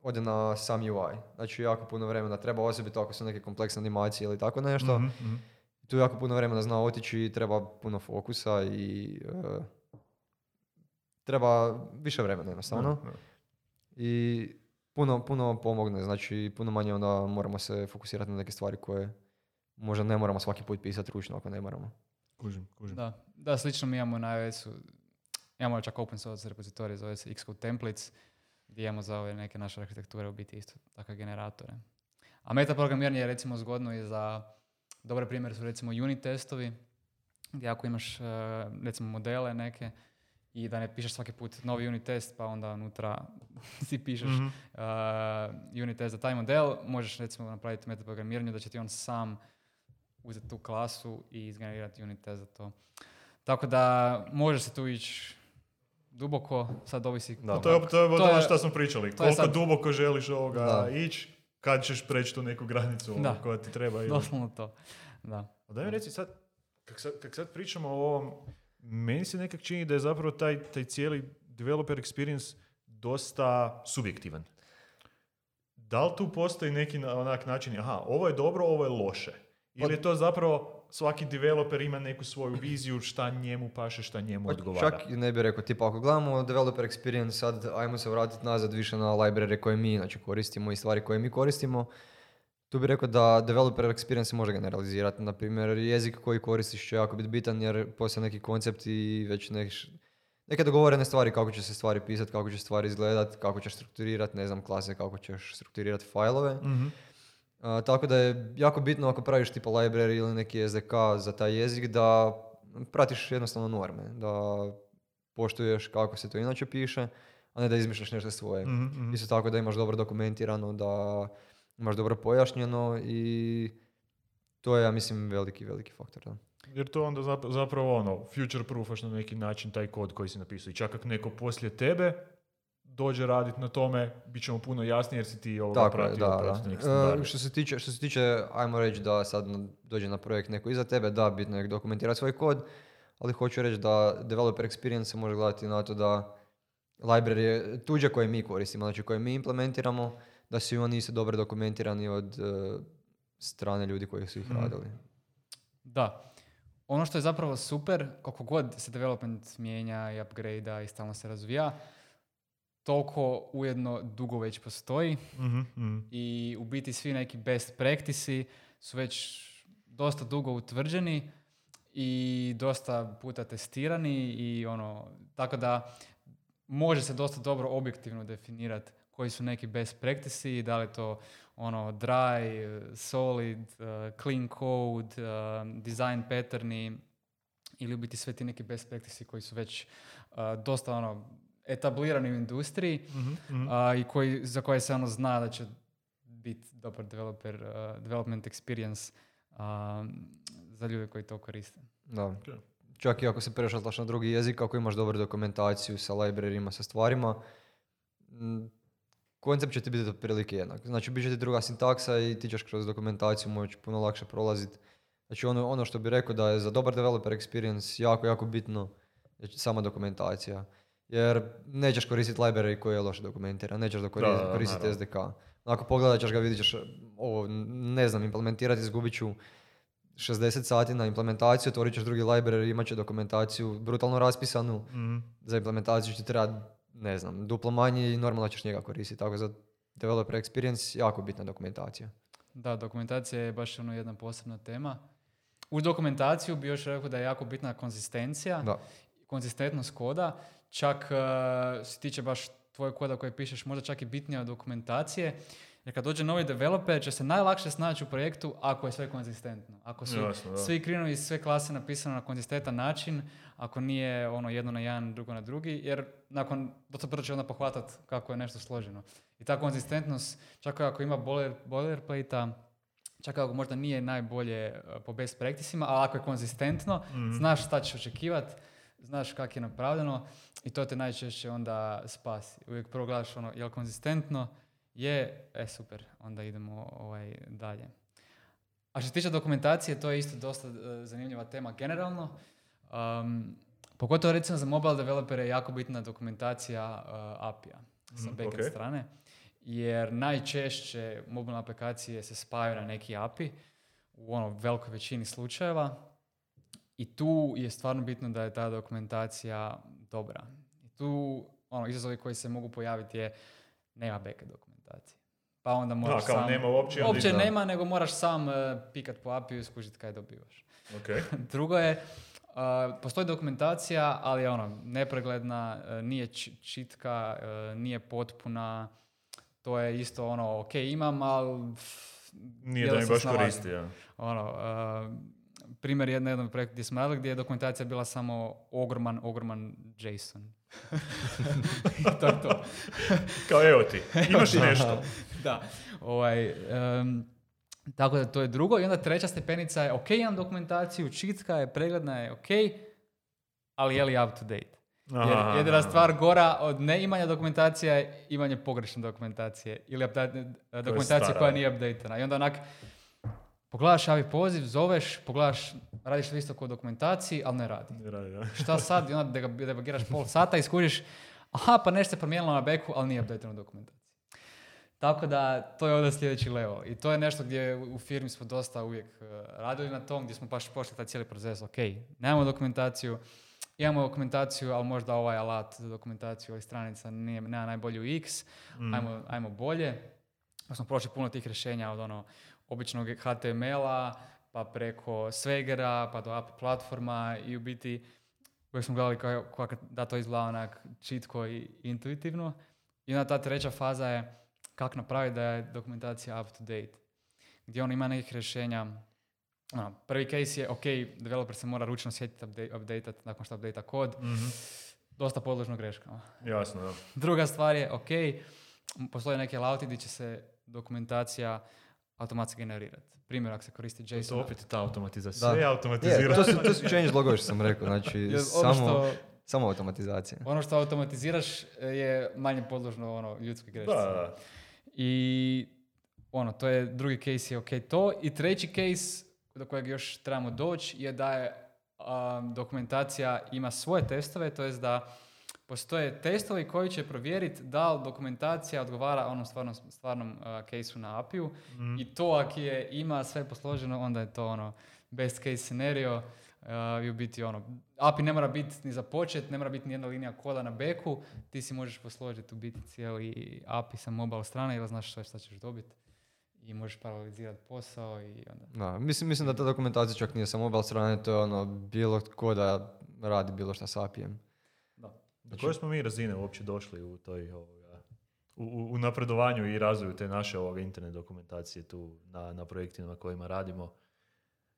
Speaker 3: ode na sam U I. Znači jako puno vremena treba, osobito ako su neke kompleksne animacije ili tako nešto.
Speaker 1: Mm-hmm.
Speaker 3: Tu jako puno vremena zna otići i treba puno fokusa i uh, treba više vremena jednostavno.
Speaker 1: No, no.
Speaker 3: I puno, puno pomogne, znači puno manje onda moramo se fokusirati na neke stvari koje možda ne moramo svaki put pisati ručno ako ne moramo.
Speaker 1: Kužim, kužim.
Speaker 2: Da, da, slično mi imamo na iOS-u, imamo čak open source repozitorij, zove se Xcode Templates, gdje imamo za ove neke naše arhitekture u biti isto takve generatore. A metaprogramiranje je recimo zgodno i za, dobar primjer su recimo unit testovi, gdje ako imaš recimo modele neke i da ne pišeš svaki put novi unit test, pa onda unutra si pišeš mm-hmm. uh, unit test za taj model, možeš recimo napraviti metaprogramiranje da će ti on sam uzeti tu klasu i izgenerirati unit test za to. Tako da može se tu ići duboko, sad ovisi...
Speaker 1: Da, to je, to je, to je ono što smo pričali. Koliko sad... duboko želiš ovoga da. ići, kad ćeš preći tu neku granicu da. koja ti treba. Ili...
Speaker 2: Doslovno to, da.
Speaker 1: A daj mi reci sad, kak sad, kak sad pričamo o ovom, meni se nekak čini da je zapravo taj, taj cijeli developer experience dosta subjektivan. Da li tu postoji neki onak način, aha, ovo je dobro, ovo je loše? Ili je to zapravo svaki developer ima neku svoju viziju šta njemu paše, šta njemu odgovara?
Speaker 3: Čak ne bih rekao, tipa ako gledamo developer experience, sad ajmo se vratiti nazad više na library koje mi znači, koristimo i stvari koje mi koristimo. Tu bih rekao da developer experience se može generalizirati. Naprimjer, jezik koji koristiš će jako biti bitan jer postoje neki koncept i već nek, neke dogovorene stvari kako će se stvari pisati, kako će stvari izgledati, kako ćeš strukturirati, ne znam, klase, kako ćeš strukturirati fajlove.
Speaker 1: Mm-hmm.
Speaker 3: Uh, tako da je jako bitno ako praviš tipa library ili neki es de ka za taj jezik da pratiš jednostavno norme, da poštuješ kako se to inače piše, a ne da izmišljaš nešto svoje.
Speaker 1: Mm-hmm.
Speaker 3: Isto tako da imaš dobro dokumentirano, da imaš dobro pojašnjeno i to je, ja mislim, veliki, veliki faktor. Da.
Speaker 1: Jer to onda zapravo ono, future proofaš na neki način taj kod koji si napisao. I čak ako neko poslije tebe dođe raditi na tome, bit ćemo puno jasnije jer si ti ovoga pratio.
Speaker 3: Da, da. Uh, što se tiče, što se tiče, ajmo reći da sad dođe na projekt neko iza tebe, da, bitno je dokumentirati svoj kod, ali hoću reći da developer experience se može gledati na to da library tuđe koje mi koristimo, znači koje mi implementiramo, da su i oni isto dobro dokumentirani od uh, strane ljudi koji su ih mm. radili.
Speaker 2: Da. Ono što je zapravo super, koliko god se development mijenja i upgrade-a i stalno se razvija, toliko ujedno dugo već postoji
Speaker 1: mm-hmm, mm.
Speaker 2: i u biti svi neki best practice su već dosta dugo utvrđeni i dosta puta testirani i ono, tako da može se dosta dobro objektivno definirati koji su neki best practice i da li to ono dry, solid, uh, clean code, uh, design patterni ili u biti sve ti neki best practice koji su već uh, dosta ono etablirani u industriji
Speaker 1: mm-hmm, mm-hmm.
Speaker 2: Uh, i koji, za koje se ono zna da će biti dobar developer, uh, development experience uh, za ljude koji to koriste.
Speaker 3: Da. Okay. Čak i ako se prešatlaš na drugi jezik, ako imaš dobru dokumentaciju sa libraryima, sa stvarima, m, koncept će ti biti otprilike jednak. Znači, bit će ti druga sintaksa i ti ćeš kroz dokumentaciju moći puno lakše prolaziti. Znači, ono, ono što bih rekao da je za dobar developer experience jako, jako bitno je sama dokumentacija. Jer nećeš koristiti library koji je loše dokumentiran, nećeš da koristiti, da, koristiti es de ka. Ako pogledat ćeš ga, vidit ćeš, ovo, ne znam, implementirati, izgubit ću šezdeset sati na implementaciju, otvorit ćeš drugi library, imat će dokumentaciju brutalno raspisanu,
Speaker 1: mm.
Speaker 3: za implementaciju će ti trebati, ne znam, duplo manje i normalno ćeš njega koristiti. Tako za developer experience jako bitna dokumentacija.
Speaker 2: Da, dokumentacija je baš ono jedna posebna tema. U dokumentaciju bi još rekao da je jako bitna konzistencija,
Speaker 3: da.
Speaker 2: konzistentnost koda. Čak uh, se tiče baš tvojeg koda koji pišeš, možda čak i bitnija od dokumentacije. Jer kad dođe novi developer će se najlakše snaći u projektu ako je sve konzistentno. Ako su
Speaker 1: Jasno,
Speaker 2: svi krinovi i sve klase napisane na konzistentan način, ako nije ono jedno na jedan, drugo na drugi, jer nakon dosta brzo će onda pohvatati kako je nešto složeno. I ta konzistentnost, čak ako ima boiler, boilerplate-a, čak ako možda nije najbolje po best practicima, ali ako je konzistentno, mm-hmm. znaš šta ćeš očekivati, znaš kako je napravljeno i to te najčešće onda spasi. Uvijek prvo gledaš ono, je li konzistentno, je, e super, onda idemo ovaj, dalje. A što se tiče dokumentacije, to je isto dosta uh, zanimljiva tema generalno. Um, pogotovo recimo za mobile developere je jako bitna dokumentacija uh, A P I-a sa backend
Speaker 1: okay.
Speaker 2: strane, jer najčešće mobilne aplikacije se spajaju na neki A P I u ono velikoj većini slučajeva i tu je stvarno bitno da je ta dokumentacija dobra. I tu ono, izazovi koji se mogu pojaviti je nema backend dokumentacije. Pa onda moraš
Speaker 1: no, kao
Speaker 2: sam...
Speaker 1: nema uopće,
Speaker 2: uopće
Speaker 1: da.
Speaker 2: nema, nego moraš sam uh, pikat po A P I-u i skužiti kaj dobivaš.
Speaker 1: Okay.
Speaker 2: Drugo je, uh, postoji dokumentacija, ali je ono, nepregledna, uh, nije č- čitka, uh, nije potpuna, to je isto ono, ok, imam, ali... Pff,
Speaker 1: nije da mi baš koristi, ja.
Speaker 2: Ono, uh, primjer jednog jednog projekta gdje smo radili, gdje je dokumentacija bila samo ogroman, ogroman JSON. to je to.
Speaker 1: Kao evo ti, imaš nešto.
Speaker 2: Da, ovaj... Um, tako da to je drugo. I onda treća stepenica je, ok, imam dokumentaciju, čitka je, pregledna je, ok, ali je li up to date? Jer jedina stvar gora od neimanja dokumentacija je imanje pogrešne dokumentacije ili update, dokumentacije koja nije updatena. I onda onak, pogledaš javi poziv, zoveš, pogledaš, radiš isto kod dokumentaciji, ali ne radi.
Speaker 1: Ne radi, da.
Speaker 2: Šta sad? I onda debugiraš pol sata i skužiš, aha, pa nešto se promijenilo na backu, ali nije updateno u dokumentaciji. Tako da, to je onda sljedeći level. I to je nešto gdje u firmi smo dosta uvijek uh, radili na tom, gdje smo baš pošli taj cijeli proces. Ok, nemamo dokumentaciju, imamo dokumentaciju, ali možda ovaj alat za dokumentaciju ovih stranica nije, nema najbolji u X, mm. ajmo, ajmo bolje. Pa smo prošli puno tih rješenja od ono običnog H T M L-a, pa preko Swagera, pa do A P I platforma i u biti uvijek smo gledali kako da to izgleda onak čitko i intuitivno. I onda ta treća faza je kako napraviti da je dokumentacija up to date. Gdje on ima nekih rješenja. Ono, prvi case je, ok, developer se mora ručno sjetiti update, updateat nakon što updata kod.
Speaker 1: Mm-hmm.
Speaker 2: Dosta podložno greškama.
Speaker 1: Jasno, da.
Speaker 2: Druga stvar je, ok, postoje neke lauti gdje će se dokumentacija automatski generirati. Primjer, ako se koristi JSON.
Speaker 1: To opet ta automatizacija. Sve je automatizirano.
Speaker 3: Yeah, to su, to su change logovi što sam rekao. Znači,
Speaker 2: ono
Speaker 3: samo,
Speaker 2: što,
Speaker 3: samo automatizacija.
Speaker 2: Ono što automatiziraš je manje podložno ono, ljudskoj grešci.
Speaker 1: Da, da.
Speaker 2: I ono, to je drugi case je ok to. I treći case do kojeg još trebamo doći je da je um, dokumentacija ima svoje testove, to jest da postoje testovi koji će provjeriti da li dokumentacija odgovara onom stvarnom, stvarnom uh, caseu na A P I-u mm. i to ako je ima sve posloženo, onda je to ono best case scenario uh, i u biti ono, A P I ne mora biti ni započet, ne mora biti ni jedna linija koda na backu, ti si možeš posložiti u biti cijeli A P I sa mobile strane ili znaš što, šta ćeš dobiti i možeš paralelizirati posao i onda...
Speaker 3: Da, mislim, mislim da ta dokumentacija čak nije sa mobile strane, to je ono bilo tko da radi bilo šta s A P I-em.
Speaker 1: Do koje smo mi razine uopće došli u toj ovoga, u, u napredovanju i razvoju te naše ovoga internet dokumentacije tu na, na projektima na kojima radimo?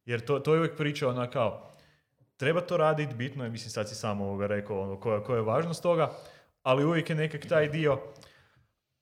Speaker 1: Jer to, to je uvijek priča ona kao, treba to raditi, bitno je, mislim sad si sam ovoga rekao ono, koja, koja je važnost toga, ali uvijek je nekak taj dio,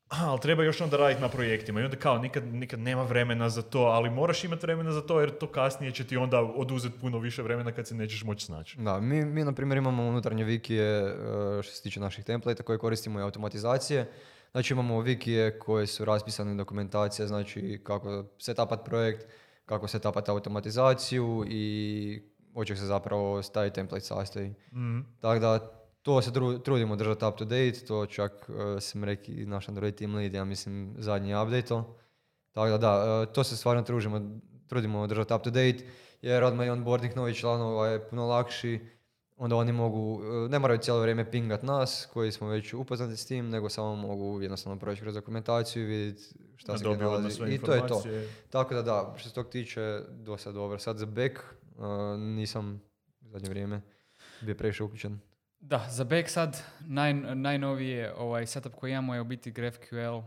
Speaker 1: ali treba još onda raditi na projektima i onda kao nikad, nikad nema vremena za to, ali moraš imati vremena za to jer to kasnije će ti onda oduzeti puno više vremena kad se nećeš moći snaći.
Speaker 3: Da, mi, mi na primjer imamo unutarnje wikije što se tiče naših templata koje koristimo i automatizacije. Znači imamo wikije koje su raspisane dokumentacije, znači kako setapat projekt, kako setapat automatizaciju i od čeg se zapravo taj template sastoji. Mm-hmm. Tako da to se tru, trudimo držati up to date, to čak uh, sam rekao i naš Android team lead, ja mislim zadnji update. Tako da da, uh, to se stvarno trudimo, trudimo držati up to date, jer odmah i onboarding novih članova je puno lakši, onda oni mogu, uh, ne moraju cijelo vrijeme pingat nas, koji smo već upoznati s tim, nego samo mogu jednostavno proći kroz dokumentaciju i vidjeti šta da se gdje nalazi. I to je to. Tako da da, što se tog tiče, dosta dobro. Sad za back uh, nisam u zadnje vrijeme bio previše uključen.
Speaker 2: Da, za back sad naj, najnovije ovaj setup koji imamo je u biti GraphQL uh,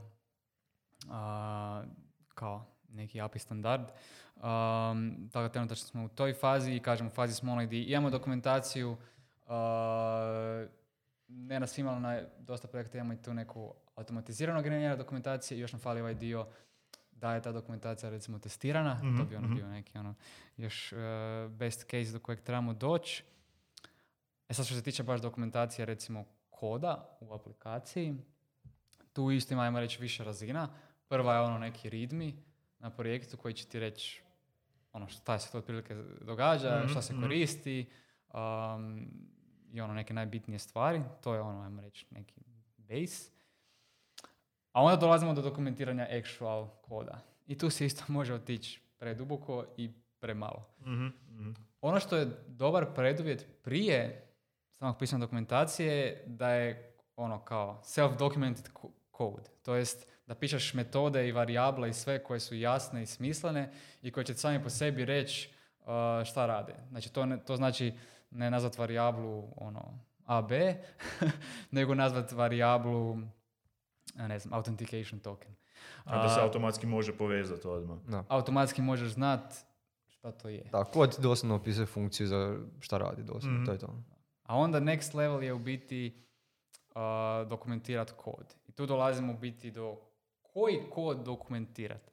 Speaker 2: kao neki A P I standard. Um, tako da trenutno smo u toj fazi i kažemo u fazi smo onaj gdje imamo dokumentaciju, uh, ne na svima, ali na dosta projekta imamo i tu neku automatizirano generiranje dokumentacije i još nam fali ovaj dio da je ta dokumentacija recimo testirana, mm-hmm. to bi ono bio neki ono još uh, best case do kojeg trebamo doći. E sad što se tiče baš dokumentacije recimo koda u aplikaciji, tu isto ima, ajmo reći, više razina. Prva je ono neki readme na projektu koji će ti reći ono šta se to otprilike događa,
Speaker 1: mm-hmm.
Speaker 2: šta se koristi um, i ono neke najbitnije stvari. To je ono, ajmo reći, neki base. A onda dolazimo do dokumentiranja actual koda. I tu se isto može otići preduboko i premalo.
Speaker 1: Mm-hmm.
Speaker 2: Ono što je dobar preduvjet prije samog pisanja dokumentacije je da je ono kao self-documented code. To jest da pišeš metode i varijable i sve koje su jasne i smislene i koje će sami po sebi reći uh, šta rade. Znači to, ne, to znači ne nazvat varijablu ono, A B, nego nazvat varijablu ne znam, authentication token.
Speaker 1: A da se automatski može povezati odmah.
Speaker 2: No. Automatski možeš znat šta to je.
Speaker 3: Da, kod doslovno opisuje funkciju za šta radi doslovno, mm. to je to.
Speaker 2: A onda next level je u biti uh, dokumentirati kod. I tu dolazimo u biti do koji kod dokumentirati.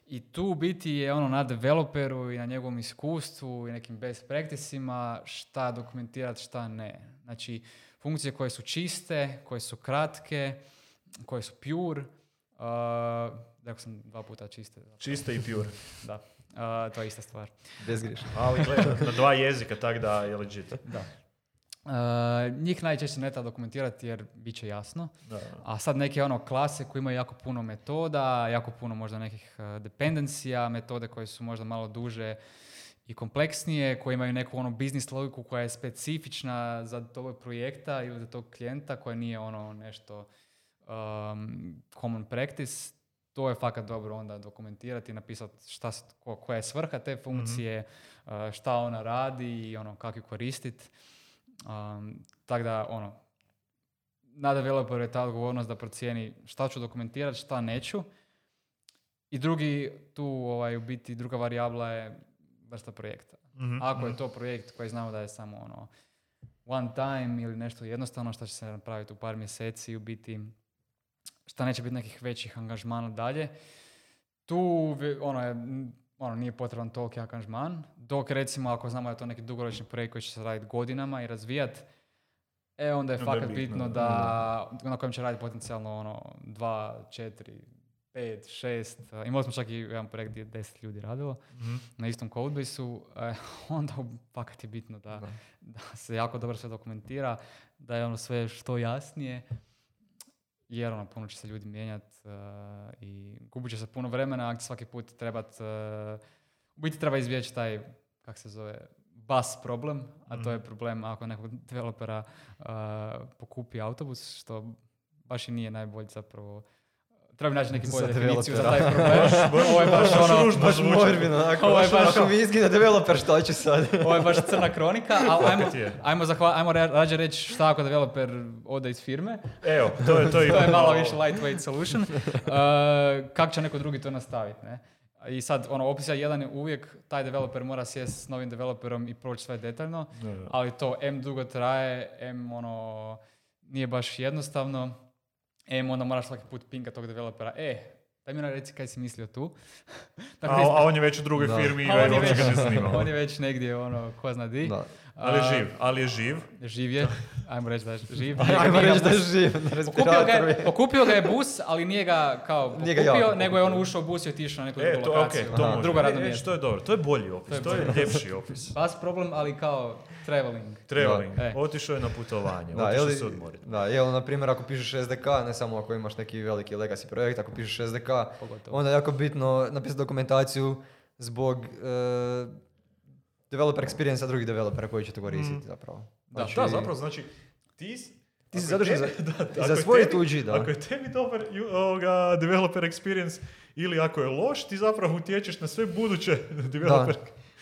Speaker 2: I tu u biti je ono na developeru i na njegovom iskustvu i nekim best practicima šta dokumentirati, šta ne. Znači, funkcije koje su čiste, koje su kratke, koje su pure, uh, rekao sam dva puta čiste.
Speaker 1: Čiste i pure.
Speaker 2: Da, uh, to je ista stvar.
Speaker 3: Bezgrišno.
Speaker 1: Ali gledaj, na dva jezika, tak da je legit.
Speaker 2: Da. Uh, njih najčešće ne treba dokumentirati jer bit će jasno.
Speaker 1: Da.
Speaker 2: A sad neke ono klase koje imaju jako puno metoda, jako puno možda nekih uh, dependencija, metode koje su možda malo duže i kompleksnije, koje imaju neku ono biznis logiku koja je specifična za tog projekta ili za tog klijenta, koja nije ono nešto um, common practice. To je fakat dobro onda dokumentirati, napisati šta, ko, koja je svrha te funkcije, mm-hmm. uh, šta ona radi i ono kako ju koristiti. Um, tako da, ono, na developeru je ta odgovornost da procijeni šta ću dokumentirati, šta neću. I drugi, tu ovaj, u biti, druga varijabla je vrsta projekta. Mm-hmm. Ako je to projekt koji znamo da je samo ono one time ili nešto jednostavno što će se napraviti u par mjeseci, u biti šta neće biti nekih većih angažmana dalje, tu ono je ono, nije potreban toliki angažman, dok recimo ako znamo da je to neki dugoročni projekt koji će se raditi godinama i razvijati, e onda je onda fakat je bitno, bitno da, da na kojem će raditi potencijalno ono, dva, četiri, pet, šest, imali smo čak i jedan projekt gdje je deset ljudi radilo mm-hmm. na istom codebase-u, eh, onda fakat je bitno da, da. da se jako dobro sve dokumentira, da je ono sve što jasnije, jer ono, puno će se ljudi mijenjati uh, i gubit će se puno vremena, ako svaki put trebat, uh, u biti treba izbjeći taj, kak se zove, bus problem, a mm. to je problem ako nekog developera uh, pokupi autobus, što baš i nije najbolje zapravo. Treba naći neki bolju definiciju za taj problem. Ovo je baš ono...
Speaker 3: Baš morbino, onako. Ovo je baš... Ako mi izgine developer, šta će sad?
Speaker 2: Ovo je baš crna kronika, ali ajmo, ajmo, zahva, ajmo rađe reći šta ako developer ode iz firme.
Speaker 1: Evo, to je to.
Speaker 2: To je malo više lightweight solution. Uh, kako će neko drugi to nastaviti, ne? I sad, ono, opcija jedan je uvijek, taj developer mora sjesti s novim developerom i proći sve detaljno, ne, ne. Ali to M dugo traje, M ono, nije baš jednostavno. E, onda moraš svaki put pinka tog developera. E, daj mi reci kaj si mislio tu.
Speaker 1: Dakle, a, a on je već u drugoj da. firmi i uopće ga ne snima.
Speaker 2: On je već negdje, ono, ko zna di.
Speaker 1: Da. Ali je živ, ali je živ.
Speaker 2: Živ je, ajmo reći da je živ.
Speaker 3: Ajmo reći da je živ, na respiratoru.
Speaker 2: Pokupio ga je bus, ali nije ga kao pokupio, ga nego je on ušao u bus i otišao na neku
Speaker 1: e,
Speaker 2: drugu lokaciju.
Speaker 1: Okay, to
Speaker 2: drugo radno
Speaker 1: e,
Speaker 2: mjesto.
Speaker 1: To je dobro, to je bolji opis, to je, to je ljepši opis.
Speaker 2: Bus problem, ali kao traveling.
Speaker 1: Traveling, e. Otišao je na putovanje, da, otišao se odmoriti.
Speaker 3: Da, evo, na primjer, ako pišeš es de ka, ne samo ako imaš neki veliki legacy projekt, ako pišeš es de ka, pogotovo. Onda je jako bitno napisati dokumentaciju zbog uh, developer experience-a drugih developera koji će to koristiti mm. zapravo.
Speaker 1: Znači, da, da, zapravo, znači ti,
Speaker 3: ti si zadužen za, da, za svoj tuđi, da.
Speaker 1: Ako je tebi dobar ovoga, developer experience ili ako je loš, ti zapravo utječeš na sve buduće developer.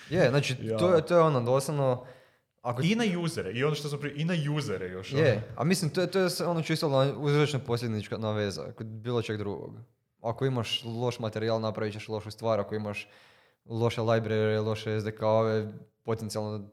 Speaker 3: Da. Je, znači ja. to, je, to je ono doslovno...
Speaker 1: Ako... I na usere, i ono što smo prije, i na usere još.
Speaker 3: Je, ono. A mislim, to je, to je ono čisto uzrečno posljednička naveza, kod bilo čeg drugog. Ako imaš loš materijal, napravit ćeš lošu stvar, ako imaš loše library, loše es de ka-ove, potencijalno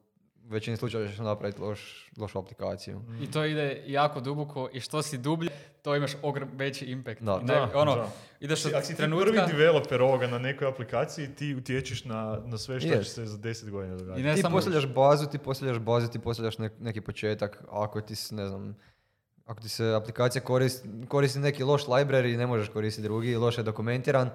Speaker 3: u većini slučajeva ćeš napraviti loš, lošu aplikaciju.
Speaker 2: Mm. I to ide jako duboko i što si dublje, to imaš ogrom veći impact.
Speaker 3: Da,
Speaker 2: ne, da, ono,
Speaker 1: da.
Speaker 2: Ideš
Speaker 1: od
Speaker 2: Ako
Speaker 1: si
Speaker 2: trenutka...
Speaker 1: ti prvi developer ovoga na nekoj aplikaciji, ti utječeš na, na sve što yes. će se za deset godina događati.
Speaker 3: Ti postavljaš bazu, ti postavljaš bazu, ti postavljaš ne, neki početak, ako ti ne znam, ako ti se aplikacija koristi, koristi neki loš library, ne možeš koristiti drugi, loše je dokumentiran,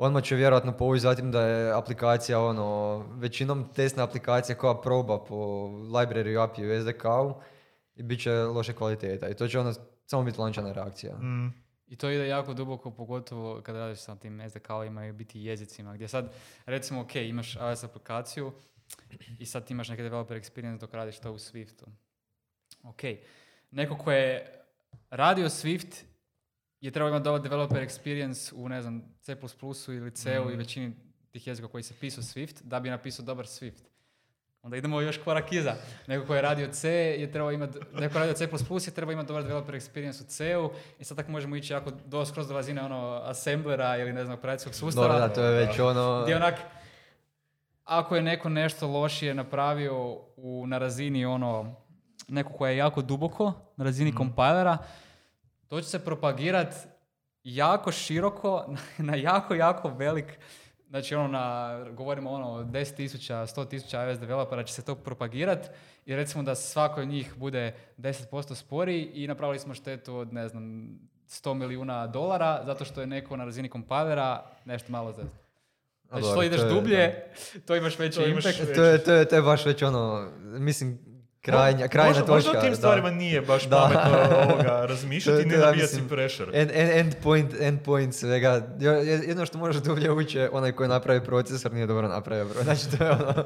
Speaker 3: odmah će vjerojatno povući zatim da je aplikacija, ono, većinom testna aplikacija koja proba po library A P I u S D K-u i bit će loše kvaliteta. I to će onda samo biti lančana reakcija.
Speaker 1: Mm.
Speaker 2: I to ide jako duboko, pogotovo kada radiš sa tim S D K-ovima i biti jezicima, gdje sad, recimo, ok, imaš iOS aplikaciju i sad ti imaš neki developer experience dok radiš to u Swiftu. Ok, neko ko je radio Swift je trebao imati dobar developer experience u, ne znam, C plus plus ili C-u mm. i većini tih jezika koji se pisao Swift, da bi napisao dobar Swift. Onda idemo još korak iza. Neko ko je radio C je trebao imati, neko ko je radio C plus plus je trebao imati dobar developer experience u C-u i sad tako možemo ići jako do, skroz do razine ono assemblera ili ne znam, operacijskog sustava.
Speaker 3: Dobro, da, to je već ono...
Speaker 2: Gdje onak, ako je neko nešto lošije napravio u, na razini ono, neko ko je jako duboko, na razini mm. kompilera, to će se propagirati jako široko, na jako, jako velik, znači ono na, govorimo ono deset tisuća, sto tisuća iOS developera će se to propagirati i recimo da svako od njih bude deset posto sporiji i napravili smo štetu od, ne znam, sto milijuna dolara zato što je neko na razini kompilera nešto malo zezno. Znači što ideš dublje, to imaš veći impact.
Speaker 3: To je, to, je, to je baš već ono, mislim, Krajnja, krajna
Speaker 1: možda,
Speaker 3: točka.
Speaker 1: Možda o tim stvarima
Speaker 3: da.
Speaker 1: nije baš da. pametno ovoga razmišljati i ne nabijati si pressure.
Speaker 3: End, end, end, point, end point svega. Jedno što možeš dublje ući je onaj koji napravi procesor nije dobro napravio. Bro. Znači to je ono,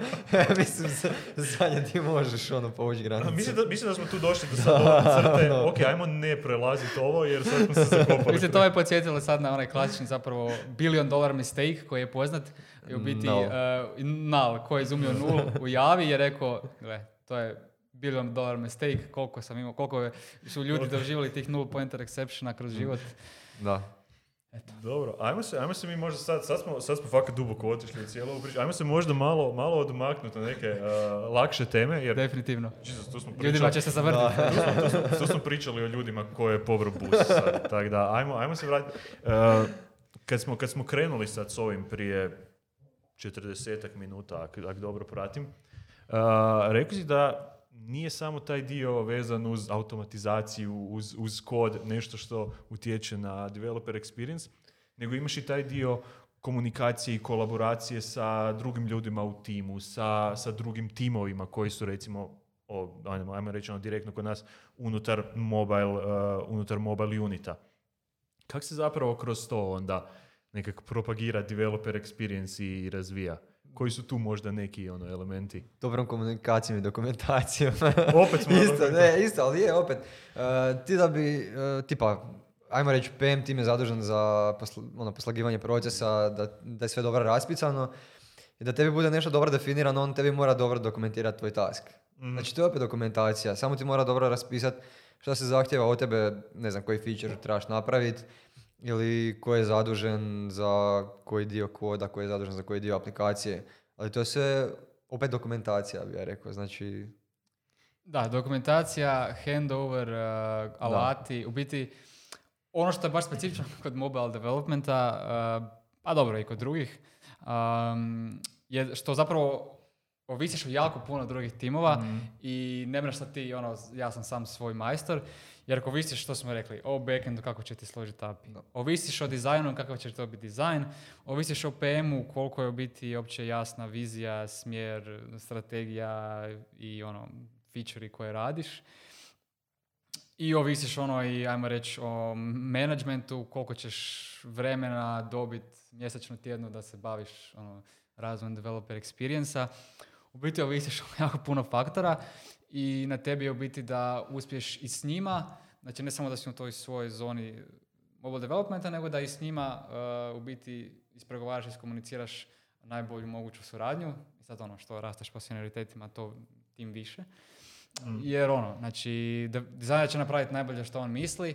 Speaker 3: mislim, zadnje ti možeš ono povući granicu.
Speaker 1: Mislim da, mislim da smo tu došli do sad ove crte. No. Ok, ajmo ne prelaziti ovo jer sad smo se zakopali.
Speaker 2: Mislim, to je podsjetilo sad na onaj klasični zapravo billion dollar mistake koji je poznat. I u biti
Speaker 3: null,
Speaker 2: uh, null koji je izumio nul u javi je rekao, gle, to je billion dollar mistake, koliko sam imao, koliko je, su ljudi doživjeli tih null pointer exceptiona kroz život.
Speaker 3: Da.
Speaker 1: Eto. Dobro, ajmo se, ajmo se mi možda sad, sad smo, sad smo fakat duboko otišli u cijelu priču, ajmo se možda malo, malo odmaknuti na neke uh, lakše teme, jer...
Speaker 2: Definitivno.
Speaker 1: Jesus, tu smo pričali,
Speaker 2: ljudima će se zavrtiti.
Speaker 1: tu, smo, tu, smo, tu smo pričali o ljudima koje je povro bus sad, tako da, ajmo, ajmo se vratiti. Uh, kad, smo, kad smo krenuli sad s ovim prije četrdesetak minuta, ako, ako dobro pratim, uh, rekli si da nije samo taj dio vezan uz automatizaciju, uz, uz kod, nešto što utječe na developer experience, nego imaš i taj dio komunikacije i kolaboracije sa drugim ljudima u timu, sa, sa drugim timovima koji su recimo, o, ajmo, ajmo reći ono direktno kod nas, unutar mobile, uh, unutar mobile unita. Kako se zapravo kroz to onda nekako propagira developer experience i razvija? Koji su tu možda neki ono elementi?
Speaker 3: Dobrom komunikacijom i dokumentacijom.
Speaker 1: Opet smo
Speaker 3: isto, ne, isto, ali je opet. Uh, ti da bi, uh, tipa, ajmo reći, P M tim je zadužen za posl- ono, poslagivanje procesa, da, da je sve dobro raspisano i da tebi bude nešto dobro definirano, on tebi mora dobro dokumentirati tvoj task. Mm. Znači, to je opet dokumentacija. Samo ti mora dobro raspisati što se zahtjeva od tebe, ne znam, koji feature trebaš napraviti, ili ko je zadužen za koji dio koda, ko je zadužen za koji dio aplikacije. Ali to je sve opet dokumentacija, bi ja rekao. Znači...
Speaker 2: Da, dokumentacija, handover, uh, alati, da. U biti ono što je baš specifično kod mobile developmenta, uh, a dobro i kod drugih, um, je što zapravo ovisiš o jako puno drugih timova mm. i ne mreš sad ti, ono, ja sam sam svoj majstor, jer ako ovisiš što smo rekli, o backendu kako će ti složiti A P I, no. ovisiš o dizajnu kakav će to biti dizajn, ovisiš o P M-u koliko je u biti opće jasna vizija, smjer, strategija i ono, feature-i koje radiš. I ovisiš ono i, ajmo reći, o managementu, koliko ćeš vremena dobiti mjesečno, tjedno da se baviš ono, razvojem developer experience-a. U biti ovisiš o jako puno faktora i na tebi je u biti da uspiješ i s njima, znači ne samo da si u toj svojoj zoni mobile developmenta, nego da i s njima uh, u biti ispregovaraš, iskomuniciraš najbolju moguću suradnju. I sad ono, što rasteš po senioritetima, to tim više. Mm. Jer ono, znači, dizajner će napraviti najbolje što on misli,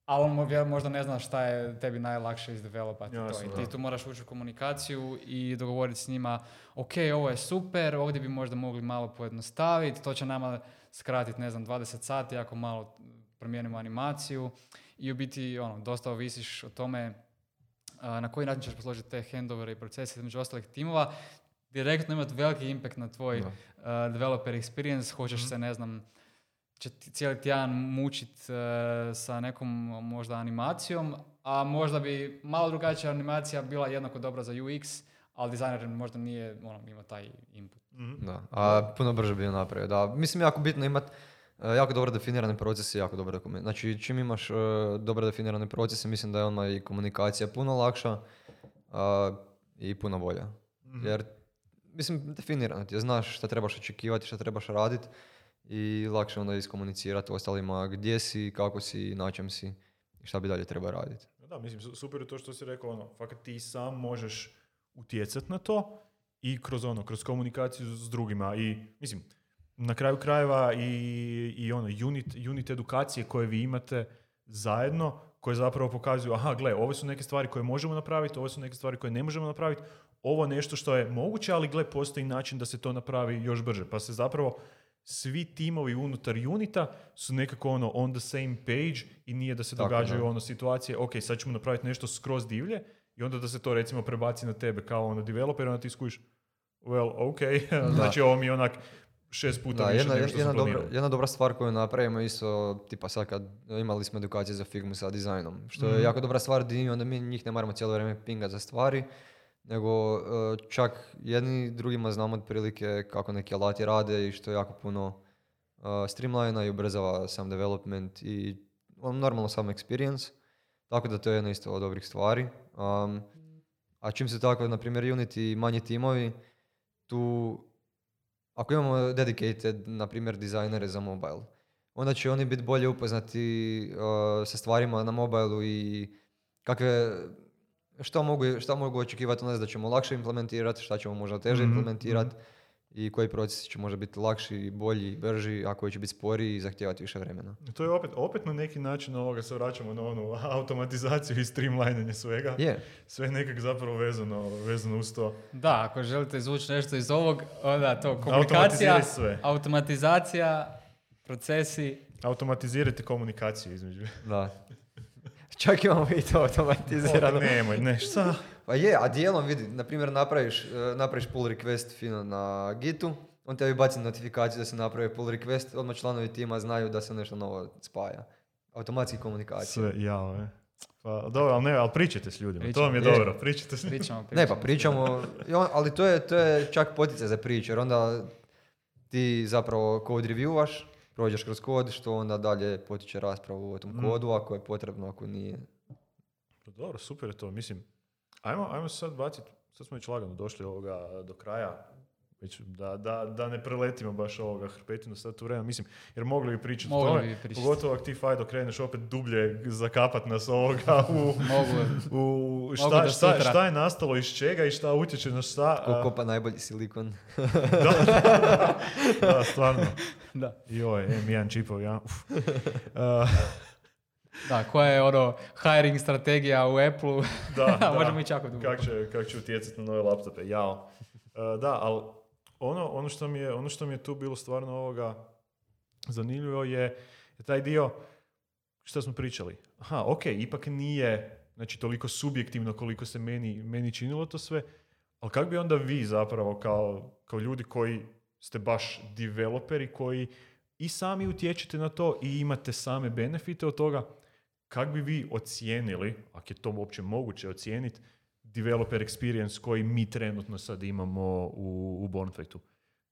Speaker 2: ali on možda ne zna šta je tebi najlakše izdevelopati.
Speaker 1: Jasno,
Speaker 2: to. I ti tu moraš ući u komunikaciju i dogovoriti s njima, ok, ovo je super, ovdje bi možda mogli malo pojednostaviti, to će nama skratiti, ne znam, dvadeset sati ako malo promijenimo animaciju i u biti, ono, dosta ovisiš o tome a, na koji način ćeš posložiti te handovere i procese između ostalih timova, direktno imati veliki impact na tvoj uh, developer experience, hoćeš mm-hmm. se, ne znam, će ti cijeli tjedan mučit uh, sa nekom možda animacijom, a možda bi malo drugačija animacija bila jednako dobra za U X, ali dizajner možda nije, ono, ima taj input.
Speaker 3: Mm-hmm. Da, a puno brže bi napravio, da. Mislim, jako bitno imati uh, jako dobro definirane procese, jako dobro dokument. Znači, čim imaš uh, dobro definirane procese, mislim da je odmah i komunikacija puno lakša uh, i puno bolja. Mm-hmm. Jer, mislim, definirano ti je, znaš šta trebaš očekivati, šta trebaš raditi i lakše onda iskomunicirati ostalima gdje si, kako si, na čem si i šta bi dalje treba raditi.
Speaker 1: Da, mislim, super je to što si rekao, ono, fakat ti sam možeš utjecati na to i kroz ono, kroz komunikaciju s drugima i, mislim, na kraju krajeva i, i ono, unit, unit edukacije koje vi imate zajedno, koje zapravo pokazuju, aha, gle, ove su neke stvari koje možemo napraviti, ove su neke stvari koje ne možemo napraviti, ovo nešto što je moguće, ali gle, postoji način da se to napravi još brže. Pa se zapravo svi timovi unutar unita su nekako ono on the same page i nije da se tako, događaju da. ono situacije, ok, sad ćemo napraviti nešto skroz divlje i onda da se to recimo prebaci na tebe kao ono developer, onda ti skužiš, well, ok, znači ovo mi je onak šest puta
Speaker 3: da,
Speaker 1: više
Speaker 3: jedna,
Speaker 1: nego što
Speaker 3: jedna
Speaker 1: sam
Speaker 3: dobra,
Speaker 1: planirao.
Speaker 3: jedna dobra stvar koju napravimo isto, tipa sad kad imali smo edukacije za Figmu sa dizajnom, što je mm. jako dobra stvar, di onda mi njih ne moramo cijelo vrijeme pingat za stvari, nego čak jedni drugima znamo otprilike kako neki alati rade i što je jako puno uh, streamlina i ubrzava sam development i on, normalno sam experience, tako da to je jedna isto od dobrih stvari. Um, a čim se tako, na primjer, Unity i manji timovi, tu ako imamo dedicated, na primjer, dizajnere za mobile, onda će oni biti bolje upoznati uh, sa stvarima na mobilu i kakve, šta mogu, šta mogu očekivati od nas da ćemo lakše implementirati, šta ćemo možda teže mm-hmm. implementirati i koji procesi će možda biti lakši, bolji, brži, a koji će biti sporiji i zahtijevati više vremena.
Speaker 1: To je opet, opet na neki način ovoga se vraćamo na onu automatizaciju i streamlinanje svega.
Speaker 3: Yeah.
Speaker 1: Sve je nekak zapravo vezano, vezano uz to.
Speaker 2: Da, ako želite izvući nešto iz ovog, onda to komunikacija,
Speaker 1: sve.
Speaker 2: automatizacija, procesi.
Speaker 1: Automatizirajte komunikaciju između.
Speaker 3: Da. Čak imamo i to automatizirano.
Speaker 1: O, nemoj, ne, šta?
Speaker 3: Pa je, a dijelom vidi, na primjer napraviš, napraviš pull request fino na Gitu, on tebi baci notifikaciju da se napravi pull request, odmah članovi tima znaju da se nešto novo spaja. Automatski komunikacija.
Speaker 1: Sve, jao, je. Pa dobro, ali ne, ali pričajte s ljudima, pričamo, to vam je, je dobro, pričajte s ljudima.
Speaker 2: Pričamo, pričamo.
Speaker 3: Ne, pa pričamo, ali to je, to je čak poticaj za priču, jer onda ti zapravo code reviewaš, prođeš kroz kod, što onda dalje potiče raspravu o tom mm. kodu, ako je potrebno, ako nije.
Speaker 1: Dobro, super je to, mislim. Ajmo, ajmo se sad baciti, sad smo već lagano došli ovoga do kraja, već da, da, da ne preletimo baš ovoga hrpetinu sad tu vremena, mislim, jer mogli bi pričati o tome, pogotovo ako ti Fajdo kreneš opet dublje zakapat nas ovoga u, u šta, šta, šta, šta je nastalo iz čega i šta utječe na šta.
Speaker 3: Ko kopa najbolji silikon.
Speaker 1: da, da, da, stvarno.
Speaker 2: Da.
Speaker 1: Joj, em jedan čipovi, ja. Uf. Uh,
Speaker 2: Da, koja je ono hiring strategija u Apple-u,
Speaker 1: da, da.
Speaker 2: možemo ići jako dugo.
Speaker 1: Kako će, kak će utjecati na nove laptope, jao. Uh, da, ali ono, ono, što mi je, ono što mi je tu bilo stvarno ovoga zanimljivo je, je taj dio što smo pričali. Aha, ok, ipak nije znači, toliko subjektivno koliko se meni, meni činilo to sve, ali kako bi onda vi zapravo kao, kao ljudi koji ste baš developeri, koji i sami utječete na to i imate same benefite od toga, kako bi vi ocijenili, ako je to uopće moguće ocijeniti, developer experience koji mi trenutno sad imamo u, u Bonfactu?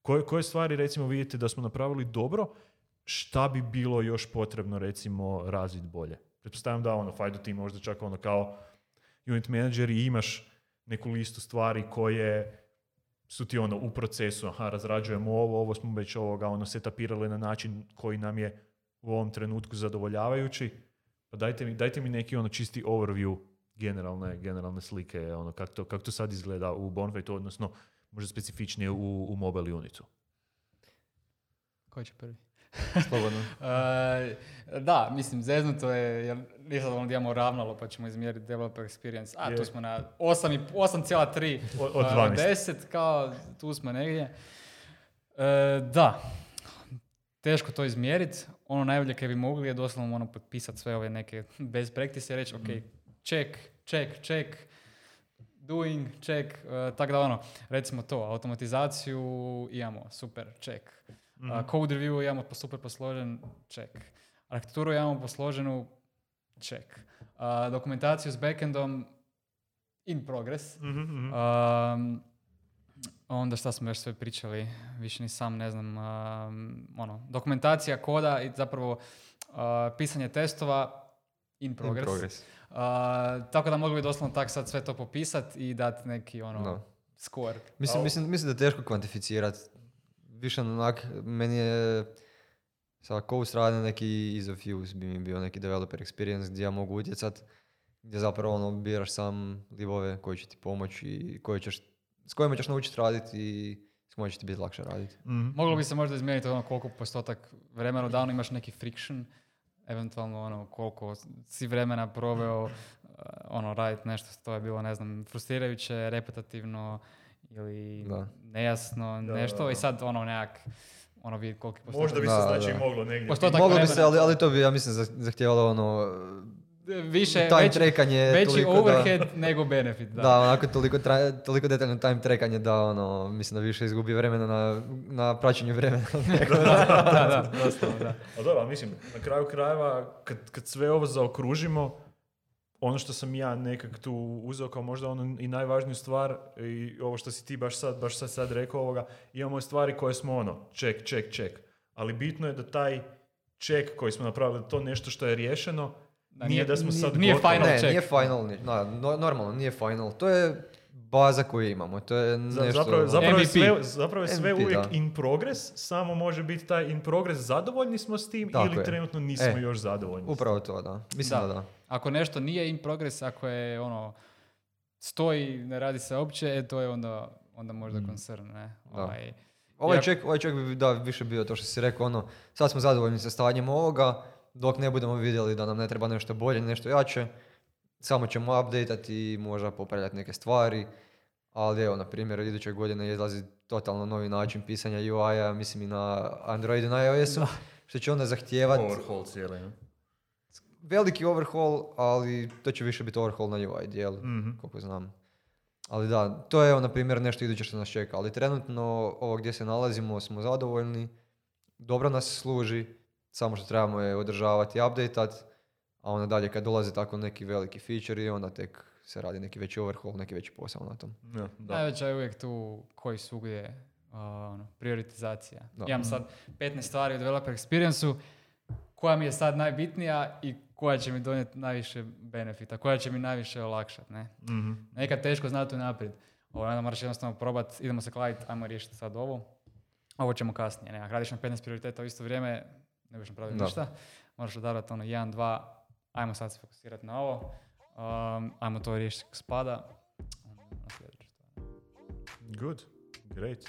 Speaker 1: Koje, koje stvari recimo vidite da smo napravili dobro, šta bi bilo još potrebno recimo razviti bolje? Pretpostavljam da ono, Fajdo ti možda čak ono kao unit manager i imaš neku listu stvari koje su ti ono u procesu, aha, razrađujemo ovo, ovo smo već ovoga ono setapirali na način koji nam je u ovom trenutku zadovoljavajući. Pa dajte mi, dajte mi neki ono čisti overview generalne, generalne slike, ono kako to, kak to sad izgleda u Bonfactu, odnosno možda specifičnije u, u mobile unitu.
Speaker 2: Ko će prvi?
Speaker 3: Slobodno.
Speaker 2: uh, da, mislim, zeznuto je, jer nisam da imamo ravnalo pa ćemo izmjeriti developer experience. A, je. Tu smo na osam zarez tri
Speaker 1: od, od uh,
Speaker 2: deset, kao tu smo negdje. Uh, da, teško to izmjeriti. Ono najbolje kaj bi mogli je doslovno ono potpisati sve ove neke best practice i reći, ok, check, check, check, doing, check, uh, tako da ono, recimo to, automatizaciju imamo, super, check. Mm-hmm. Uh, code review imamo super posložen, check. Arhitekturu imamo posloženu, check. Uh, dokumentaciju s backendom, in progress.
Speaker 1: Mm-hmm.
Speaker 2: Um, onda šta smo još sve pričali, više ni sam ne znam, um, ono, dokumentacija koda i zapravo uh, pisanje testova, in progress.
Speaker 3: In progress.
Speaker 2: Uh, tako da mogli bi doslovno tak sad sve to popisati i dati neki ono
Speaker 3: No.
Speaker 2: score.
Speaker 3: Mislim, mislim, mislim da je teško kvantificirati. Više onak, meni je sa Coast rade neki ease of use, bi mi bio neki developer experience gdje ja mogu utjecat, gdje zapravo ono, biraš sam libove koji će ti pomoći i koji ćeš, s kojima ćeš naučiti raditi i s kojima će ti biti lakše raditi.
Speaker 1: Mm-hmm.
Speaker 2: Moglo bi se možda izmijeniti ono koliko postotak vremena u danu imaš neki friction, eventualno ono koliko si vremena proveo uh, ono raditi nešto, to je bilo ne znam frustrirajuće, repetitivno ili
Speaker 3: Da.
Speaker 2: nejasno,
Speaker 1: Da,
Speaker 2: nešto
Speaker 1: da, da.
Speaker 2: i sad ono nekak ono vidjeti koliki postotak.
Speaker 1: Možda bi se
Speaker 3: Da,
Speaker 1: znači
Speaker 3: da.
Speaker 1: moglo negdje...
Speaker 2: Postotak
Speaker 3: Moglo bi
Speaker 2: vremena
Speaker 3: se, ali,
Speaker 2: to-
Speaker 3: ali to bi, ja mislim, zah- zahtijevalo ono,
Speaker 2: više,
Speaker 3: time
Speaker 2: veći,
Speaker 3: trackanje,
Speaker 2: veći
Speaker 3: toliko
Speaker 2: overhead
Speaker 3: da,
Speaker 2: nego benefit. Da,
Speaker 3: da, onako toliko, tra, toliko detaljno time trackanje da ono, mislim da više izgubi vremena na, na praćenju vremena.
Speaker 2: da, da, doslovno, da.
Speaker 1: A dobro, ali mislim, na kraju krajeva, kad, kad sve ovo zaokružimo, ono što sam ja nekak tu uzeo kao možda ono i najvažniju stvar, i ovo što si ti baš sad, baš sad, sad rekao ovoga, imamo stvari koje smo ono, ček, ček, ček. Ali bitno je da taj ček koji smo napravili, to nešto što je riješeno,
Speaker 2: Da,
Speaker 1: nije da smo sad
Speaker 2: nije
Speaker 1: gotovi.
Speaker 2: final
Speaker 3: Ne,
Speaker 2: check.
Speaker 3: nije final, ni- da, no, normalno, nije final. To je baza koju imamo, to je
Speaker 1: Za-
Speaker 3: nešto...
Speaker 1: Zapravo, zapravo, je
Speaker 2: M V P.
Speaker 1: sve, zapravo je sve
Speaker 3: M V P,
Speaker 1: uvijek
Speaker 3: da.
Speaker 1: in progress, samo može biti taj in progress, zadovoljni smo s tim
Speaker 3: Tako
Speaker 1: ili
Speaker 3: je.
Speaker 1: trenutno nismo
Speaker 3: E,
Speaker 1: još zadovoljni.
Speaker 3: Upravo to, da. Mislim
Speaker 2: Da.
Speaker 3: da da.
Speaker 2: Ako nešto nije in progress, ako je ono stoji, ne radi se uopće, e, to je onda, onda možda concern, ne?
Speaker 3: Da.
Speaker 2: Ovaj,
Speaker 3: Ovaj
Speaker 2: Ja-
Speaker 3: ček, ovaj ček bi da, više bio to što si rekao, ono, sad smo zadovoljni sa stanjem ovoga, dok ne budemo vidjeli da nam ne treba nešto bolje, nešto jače, samo ćemo updateati i možda popravljati neke stvari, ali evo, na primjer, iduće godine izlazi totalno novi način pisanja U I-a, mislim i na Androidu i na iOS-u, što će onda zahtijevati
Speaker 1: Overhaul cijeli. ne?
Speaker 3: veliki overhaul, ali to će više biti overhaul na U I dijelu,
Speaker 1: Mhm.
Speaker 3: koliko znam. Ali da, to je evo, na primjer, nešto iduće što nas čeka, ali trenutno ovo gdje se nalazimo smo zadovoljni, dobro nas služi, samo što trebamo je održavati i updateat, a onda dalje kad dolaze tako neki veliki feature onda tek se radi neki veći overhaul, neki veći posao na tom.
Speaker 1: Ja, da.
Speaker 2: Najveća je uvijek tu koji svugdje uh, ono, prioritizacija.
Speaker 3: Da.
Speaker 2: Imam sad petnaest stvari u developer experience-u, koja mi je sad najbitnija i koja će mi donijeti najviše benefita, koja će mi najviše olakšati, ne?
Speaker 1: Mhm.
Speaker 2: Nekad teško znati unaprijed. Ovo onda moraš jednostavno probati, idemo se kladiti, ajmo riješiti sad ovo. Ovo ćemo kasnije. Ne? Ako radiš na petnaest prioriteta u isto vrijeme, ne budeš napraviti
Speaker 3: Da.
Speaker 2: ništa. Moraš odabrati ono jedan, dva, ajmo sad se fokusirati na ovo. Um, ajmo to riješiti kako spada. Na sljedeću stvar.
Speaker 1: Good, great.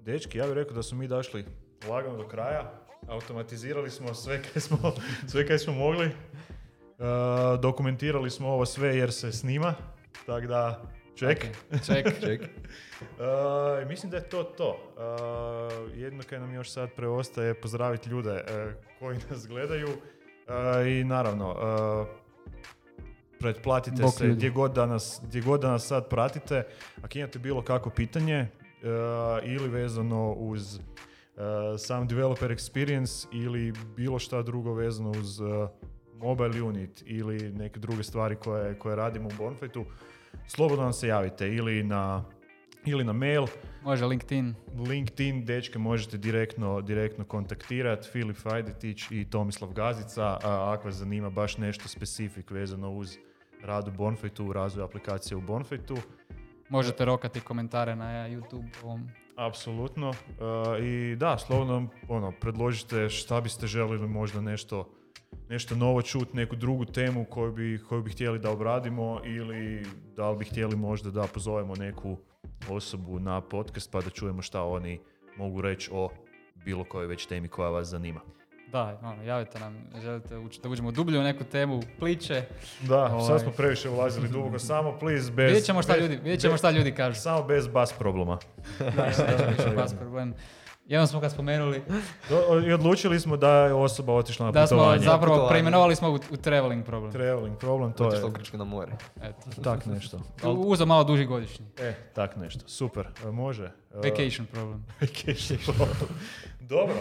Speaker 1: Dečki, ja bih rekao da smo mi došli lagano do kraja. Automatizirali smo sve kaj smo, sve kaj smo mogli. Uh, dokumentirali smo ovo sve jer se snima. Tako da, ček.
Speaker 2: Ok, Ček.
Speaker 3: Ček.
Speaker 1: Uh, mislim da je to to. Uh, jedno kaj nam još sad preostaje pozdraviti ljude uh, koji nas gledaju. Uh, I naravno, uh, pretplatite
Speaker 2: Bok
Speaker 1: se
Speaker 2: ljudi.
Speaker 1: gdje god, da nas, gdje god da nas sad pratite. Ako imate bilo kakvo pitanje uh, ili vezano uz uh, sam developer experience ili bilo šta drugo vezano uz uh, mobile unit ili neke druge stvari koje, koje radimo u Bonfitu, slobodno nam se javite ili na, ili na mail,
Speaker 2: Može LinkedIn.
Speaker 1: LinkedIn, dečke možete direktno, direktno kontaktirati, Filip Fajdetić i Tomislav Gazica, a ako vas zanima baš nešto specifik vezano uz rad u Bonfitu, razvoj aplikacije u Bonfitu.
Speaker 2: Možete rokati komentare na YouTube. Ovom.
Speaker 1: Apsolutno. Uh, I da, slobodno nam, ono, predložite šta biste želili možda nešto, nešto novo čuti, neku drugu temu koju bi, koju bi htjeli da obradimo ili da li bi htjeli možda da pozovemo neku osobu na podcast pa da čujemo šta oni mogu reći o bilo kojoj već temi koja vas zanima.
Speaker 2: Da, ono, javite nam, želite ući, da uđemo dublje u neku temu, pliče.
Speaker 1: Da,
Speaker 2: Ovaj.
Speaker 1: sad smo previše ulazili duboko, samo please bez...
Speaker 2: Vidjet ćemo šta
Speaker 1: bez-
Speaker 2: ljudi, vidjet ćemo
Speaker 1: bez-
Speaker 2: šta ljudi kažu.
Speaker 1: Samo bez bas problema.
Speaker 2: Da, neće biti baš problem. Jednom smo ga spomenuli.
Speaker 1: Do, I odlučili smo da je osoba otišla na
Speaker 2: Da
Speaker 1: putovanje.
Speaker 2: smo zapravo
Speaker 3: Putovanje.
Speaker 2: preimenovali smo u, u traveling problem.
Speaker 1: Traveling problem, to
Speaker 3: Otišla
Speaker 1: je
Speaker 3: u Grčku na more.
Speaker 2: Eto.
Speaker 1: tak nešto.
Speaker 2: Uzeo malo duži godišnji.
Speaker 1: E, tak nešto. Super. E, može. E,
Speaker 2: Vacation problem.
Speaker 1: Vacation problem. Dobro.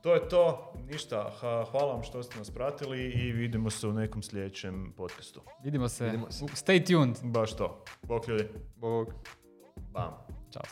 Speaker 1: To je to. Ništa. Ha, hvala vam što ste nas pratili i vidimo se u nekom sljedećem podcastu.
Speaker 2: Vidimo se.
Speaker 3: Vidimo se.
Speaker 2: Stay tuned.
Speaker 1: Baš to. Bok ljudi.
Speaker 3: Bog.
Speaker 1: Bam.
Speaker 2: Ćao.